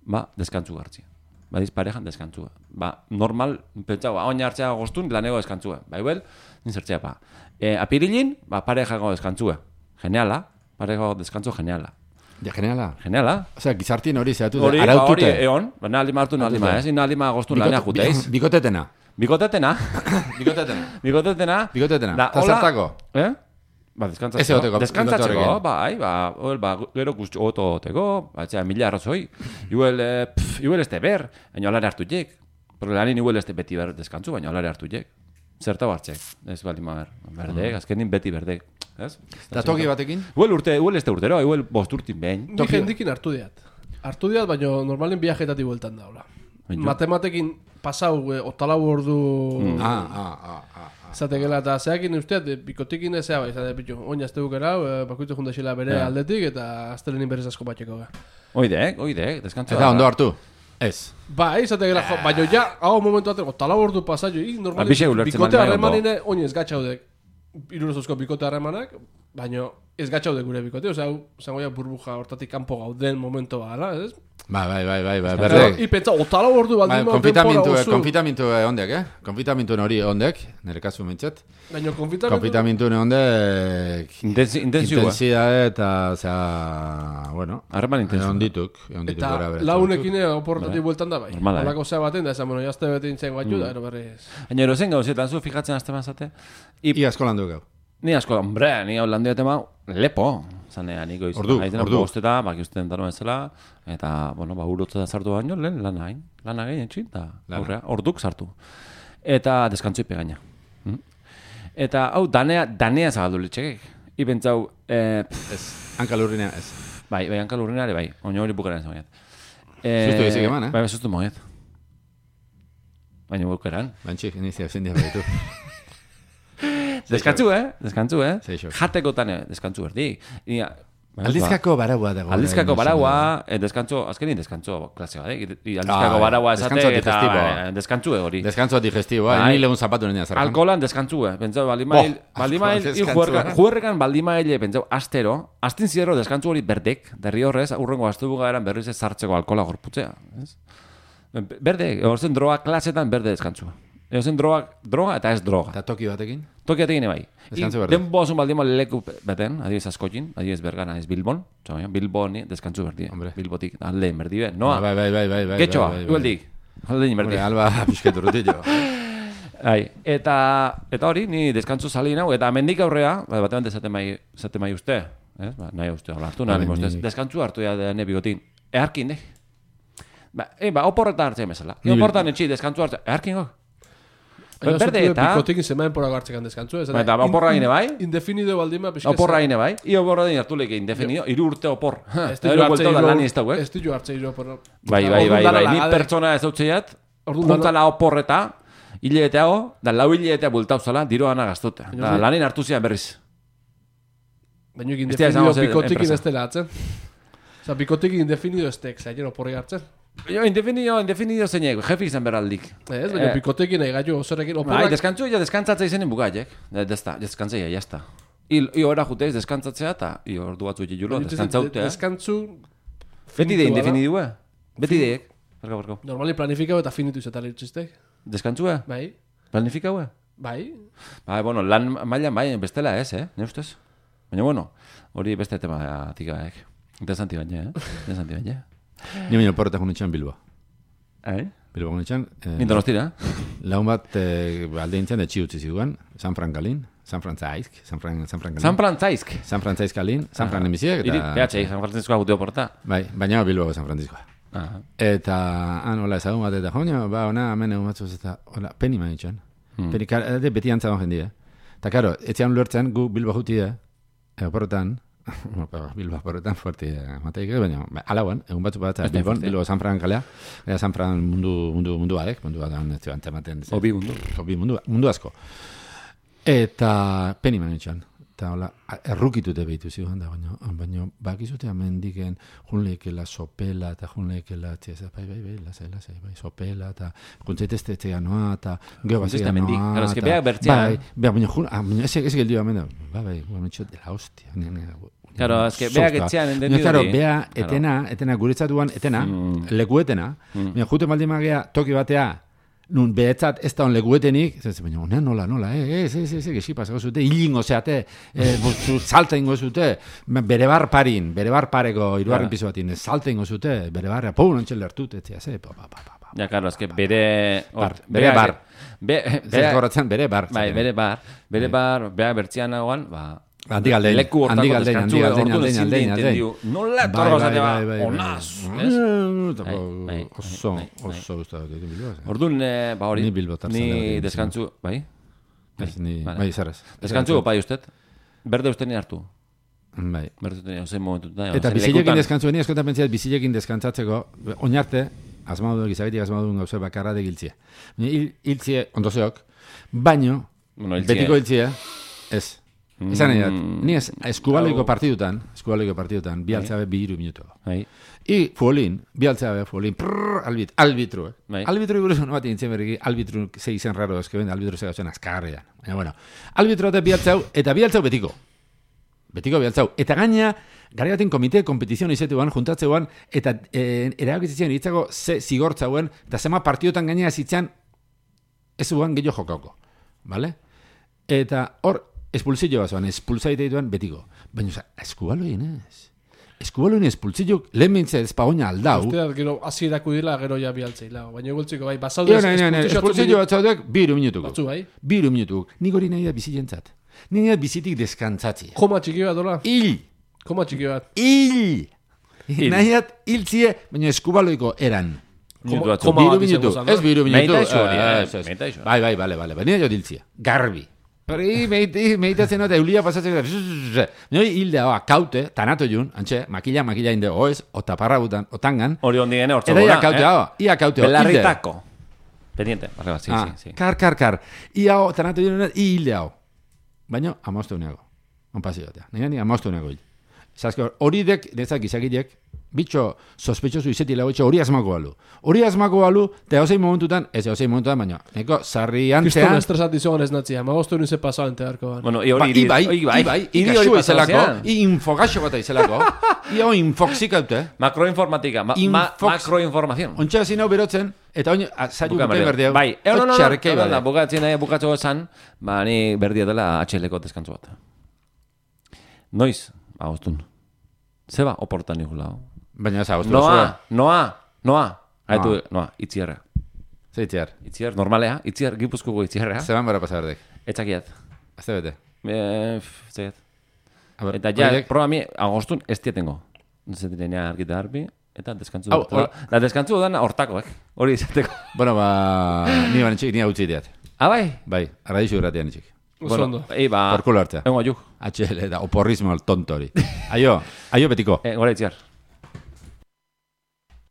ba, deskantzu gartzia. Badiz parejan deskantzua. Ba, normal, pentsau, oin hartzea goztun, lanego deskantzua. Ba, igual, nintzertzea pa. E, apirilin, ba, parejago deskantzua. Geniala, parejago deskantzu geniala. Ja, geniala. Geniala. Osea, gizartien hori zehatu Hori, da, ba, hori, arautute. eon, ba, nahi alima hartu, nahi alima, ez? Nahi alima goztun lanea juteiz. Bikotetena. Bikotetena. Bikotetena. Bikotetena. Bikotetena. Da, Ta hola- zertako? Eh? Ba, deskantzatzeko. Ez egoteko, Deskantzatzeko, bikote bai, ba, hor, ba, gero guzti oto oteko, ba, txea, mila arrazoi. Igual, eh, pff, igual este ber, baina olare hartu jek. Porque lanin igual este beti ber deskantzu, baina olare hartu jek. Zerta hartzek, ez bali ma ber. Berdek, azkenin beti berdek. Ez? Eta toki batekin? Igual urte, igual este urtero, igual bost urtin behin. Ni jendikin hartu diat. Hartu diat, baina normalin viajetati bueltan daula. Baina- Matematekin pasau, eh, otalau ordu... Ah, ah, ah, ah. Zatekela, eta zeakin usteat, eh, bikotikin ezea bai, zate pitu, oin azte bukera, eh, bakoitzu jundaxela bere Ja. aldetik, eta aztelenin berez asko batxeko. ga. Oidek, oidek, deskantzu. Eta ondo hartu? Ez. Bai, zatekela, jo, baina ja, hau momentu bateko, otalau ordu pasa jo, ik Ba, normalin, bixe ulertzen bikote man nahi harremanine, oin ez gatxaudek, irurezozko bikote harremanak, baina ez gatxaudek gure bikote, osea, hau, zango ja burbuja hortatik kanpo gauden momentu bala, ez? Bai, bai, bai, bai, bai, Pero, berdek. I pentsa, otalau ordu Bai, baldin ma konfitamintu, denbora oso, konfitamintu ondek, eh? Konfitamintu hori ondek, nire kasu mintzat. baina konfitamentu, Konfitamintu ondek, Intensi, intensiua. intensidade eta, osea, bueno, Harreman intensiua. ondituk, ondituk eta gora bere. launekin oportatik bueltan da bai. Normala, eh? Holako zea baten da, esan, bueno, jazte bete intzen batxu, Mm. da, ero berriz. Baina erozen gauzetan zu fijatzen azte mazate. I, Ia asko landu gau. ni asko, hombre, ni hau landio tema lepo. Zanea, niko izan. Ordu, Haizena ordu. bosteta, baki usten daro bezala. Eta, bueno, ba, urotza sartu baino, lehen lana hain. Lana gain etxin, eta Lana. aurrea, orduk sartu. Eta deskantzoi pegaina. Mm? Eta, hau, danea, danea zabaldu litxekek. Ipentzau, eh, pff, Ez, hankalurrinean ez. bai, bai, hankal urrinare, bai. Oino hori bukaren zagoiat. Eh, Sustu gizik eman, eh? Bai, bai, sustu moiet. Baina bukeran. Bantxik, nizia zendia baditu. Deskantzu, eh? Deskantzu, eh? Seixo. Jatekotan, eh? Deskantzu berdi. Ia, Aldizkako baraua dago. Aldizkako baraua, eh, deskantzo, azkenin deskantzo klase bat, eh? I Aldizkako Ah, baraua esate deskantzo eta digestiboa. eh, deskantzu hori. Deskantzo digestiboa, Bai. ni legun zapatu nenia zarkan. Alkoholan deskantzu, eh? Pentsau, baldimail, Oh, baldimail, alkohol hil deskantzua. juerrekan baldimaile, pentsau, astero, astin zierro deskantzu hori berdek, derri horrez, urrengo astubuga eran berriz ez sartzeko alkohola gorputzea, ez? Berde, horzen droga klasetan berde deskantzua. Ego zen droga, droga eta ez droga. Eta toki batekin? Toki batekin bai. Deskantzu berdi. Denbo osun baldimo leku beten, adibidez askotin, adibidez Bergana, ez Bilbon, txamaia, Bilboni deskantzu berdi. Hombre. Bilbotik, alde merdi be. Noa, Bai, bai, bai, bai, bai. getxoa, bai, bai, igualdik. Alde merdi. Hombre, alba pixketu rutillo. Ai, eta eta hori, ni deskantzu sali nau, eta mendik aurrea, ba, batean dezaten mai, zaten mai uste, ez? Ba, nahi uste, hola, hartu nahi, Bai, ustez, ni- deskantzu hartu ja dene bigotin. Eharkin, eh? Ba, e, ba, oporretan hartzen bezala. Ni- Oporretan etxi, deskantzu hartzen, eharkin gok. Baina Berde zutue eta... Bikotekin zemaen porak hartzekan deskantzu. Ez, Ba, eta oporra gine bai? Indefinido baldima pixka. Oporra gine bai? I oporra din hartu leke indefinido, iru urte opor. Ez Eta ditu ero hartze bueltau da hiru- lan ez dauek. Ez ditu hartze hiru opor. Bai, bai, bai, bai, ni pertsona ez dautzeiat, Orduan juntala oporreta, hileteago, da lau hiletea bultau zala, diru ana gaztute. Da, ni- lanin hartu zian berriz. Baina Ez dira indefinido esango zen bikotekin enpresa. ez dela hartzen. Osa, bikotekin indefinido ez tek, zaino oporri hartzen. Jo, indefinido, indefinido zeinek, jefi izan beraldik. Ez, baina Eh, bikotekin nahi gaitu osorekin Bai, oporrak. deskantzu ja deskantzatza izenen bukaiek. Desta, deskantzea, jazta. I, i ora juteiz deskantzatzea eta i ordu batzu julo, deskantzautea. Deskantzu Beti de finitua da. indefinidua. Beti deek. Barka, barka. Normali planifikau eta finitu izetan litziztek. Deskantzua? Bai, Planifikaua? bai. Bai, bueno, lan mailan bai, bestela ez, eh? Ne ustez? Baina, bueno, hori beste tema tikaek. Interesanti baina, eh? Interesanti baina. Ni baino porretak unitxan Bilbo. Eh? Bilbo unitxan. Eh, Ni donostira? laun bat eh, alde nintzen etxi utzi ziguan. San Frankalin. San Frantzaisk. San Fran, San Frankalin. San Frantzaisk. San Frantziskalin. San Fran emiziek. Iri, behatxei, San Franciscoa guteo porta. Bai, baina Bilbo San Franciscoa. Aha. Eta, han, hola, ezagun bat, eta joño, ba, ona, hemen egun batzuz, eta, hola, peni manitxan. Hmm. Peni, kar, ede, beti antzagon jendia. Eta, karo, etxean lortzen, gu Bilbo jutia, oporretan, Bilbo oporretan fuerti, mateik, baina, ba, alauan, egun batzuk bat, Ez da Bilbon, fuerte. Bilbo San Fran kalea, eta San Fran mundu, mundu, mundu badek, mundu bat, ez zuen tematen. Hobi mundu. Hobi mundu, mundu asko. Eta, peni manitxan. Eta, hola, errukitute behitu zigoan da, baina, baina, bakizute amendiken, junleikela sopela, eta junleikela, txeza, bai, bai, bai, lasai, lasai, bai, sopela, eta juntzaitezte etxea noa, eta geho bat Juntzaitezte zegoen amendik. noa, Claro, es que eta- beak bertzean. Bai, bai, baina, jun, ah, baina, ez ez geldio amenda, bai, bai, baina, metxo, de la hostia, ni, ni, Claro, es que beak etxean entendido Claro, hori. bea, Claro. etena, etena, guretzatuan, etena, Mm. lekuetena, Mm. baina, jute baldin magea, toki batea, nun behetzat ez da on lekuetenik, ez baina, onean nola, nola, eh, ez, ez, ez, ez, esi pasako zute, hilingo zeate, eh, bostu, salta ingo zute, bere bar parin, bere bar pareko, iruarren Claro. piso batin, salta ingo zute, bere barra, pou nontxel lertut, ez ze, pa, pa, pa, pa, pa. Ja, claro, es que bere... Bar, hor- bere beak- bar. Be, Zer beak- goratzen, bere bar. Bai, zaten. bere bar. Bere Bai. bar, beak bertzian nagoan, ba... Handik aldein, leku hortako handik aldein, deskantzu, handik aldein, orduan aldein, ezin aldein, de aldein. entendiu. Nola Bai, etorro bai, zatea, bai, bai, onaz, bai. ez? Mm, Bai, bai, Oso, bai, bai. oso gustatu ditu Bilbo. eh? Orduan, eh, ba hori, Ni Bilbotar ni zalea, deskantzu, bai? Ez, ni, Vale. bai, zerrez. Deskantzu, bai usted? Berde uste ni hartu. Bai. Berde uste ni, ozen momentu. Da, Eta ozen bizilekin lekutan. deskantzu, ni askotan pentsatzen bizilekin deskantzatzeko, oinarte, asmadu gizabetik asmadu gauza bakarra de giltzia. Hil, hiltzie, ondozeok, baino, Bueno, hiltzie. betiko hiltzia, ez. Esan nahi dat, Mm. ni ez, eskubaloiko Hau- partidutan, eskubaloiko partidutan, bi altzabe bi iru minuto. Bai. I fuolin, bi altzabe fuolin, prrr, albit, albitru, eh? Bai. Albitru buruz honu bat nintzen berriki, albitru ze izen raro ezkeben, albitru ze gauzen azkarrean. Baina, bueno, albitru eta bi altzau, eta bi altzau betiko. Betiko bi altzau. Eta gaina, gari baten komite, kompetizion izetuan, juntatzeuan, eta e, erabakitzen hitzako ze zigortzauen, eta zema partiotan gaina zitzen, ez uan gehiago jokauko. Vale? Eta hor, espulsio bat zoan, espulsaite dituan betiko. Baina, oza, eskubaloien ez. Eskubaloien espulsio, lehen bintzea ezpagoina aldau. Usteat, gero, hasierako dira, gero ja bialtzeila. Baina egoltziko, bai, basaude Io, nahi, nahi, nahi, espulsio bat zaudek, biru minutuko. Batzu, bai. Biru minutuko. Nik hori nahi da bizilentzat. Nik nahi da bizitik deskantzatzi. Koma txiki bat, dola? Hil! Koma txiki bat. Hil! Hil. Nahi dat hiltzie, baina eskubaloiko eran. Minutu batzu. Koma Biru bat izango minutu, zen, no? ez biru minutu. Meita iso hori, eh, ez, ez. meita iso. Bai, bai, bale, bale, baina jo diltzia. Garbi. Hori, meiti, meitatzen eta eulia pasatzen gara. Noi hilde hau, kaute, tanato jun, antxe, makila, makila inde, oez, o taparra butan, o tangan. Hori ondi gene, hortzo Eta ia gona, kaute hau, ia kaute hau, hilde. Belarritako. Pendiente, barre bat, sí, Ah, sí, sí. Kar, kar, kar. Ia hau, tanato jun, i hilde hau. Baina, amaztu uneago. On pasi batea. Nire ni amaztu uneago hil. Zaske, hori dek, nezak izakidek, bitxo sospetxosu izeti lagoetxe hori asmako balu. Hori asmako balu, eta hauzein momentutan, ez hauzein momentutan, baina, neko sarri Kriston antzean... estresat izogan ez natzia, magostu nize pasau entearko ban. Bueno, i hori... Ba, ibai, ibai, ibai, ikaxua izelako, i infogaxo bat izelako, i hau infoxik haute. Macroinformatika, ma, ma, macroinformazion. Ontsa zin hau berotzen, eta oin, zailu bukai berdi hau. Bai, eh, no, no, no, no, bukatzen nahi, bukatxo esan, ba, ni berdia dela H L-ko deskantzu bat. Noiz, agostun. Zeba, oportan ikula. Baina ez agostun. Noa, noa, noa. Haitu, noa, itziarra. Zer itziar? Itziar, normalea, itziar, gipuzkuko itziarra. Zeban bara pasa berdek? Etxakiat. Azte bete? Eh, zeiat. Eta ja, proba mi, agostun ez tietengo. Zetirenia argita harbi, eta deskantzu dut. Da, deskantzu dut hortako, eh? Hori izateko. Bueno, ba, ni ban txik, ni hau txiteat. Ah, bai? Bai, arradizu irratian txik. Bueno, ei, ba... Porkulo hartzea. Engo, juk. H L, da, oporrismo el tonto hori. Aio, aio betiko. Eh, gora itziar.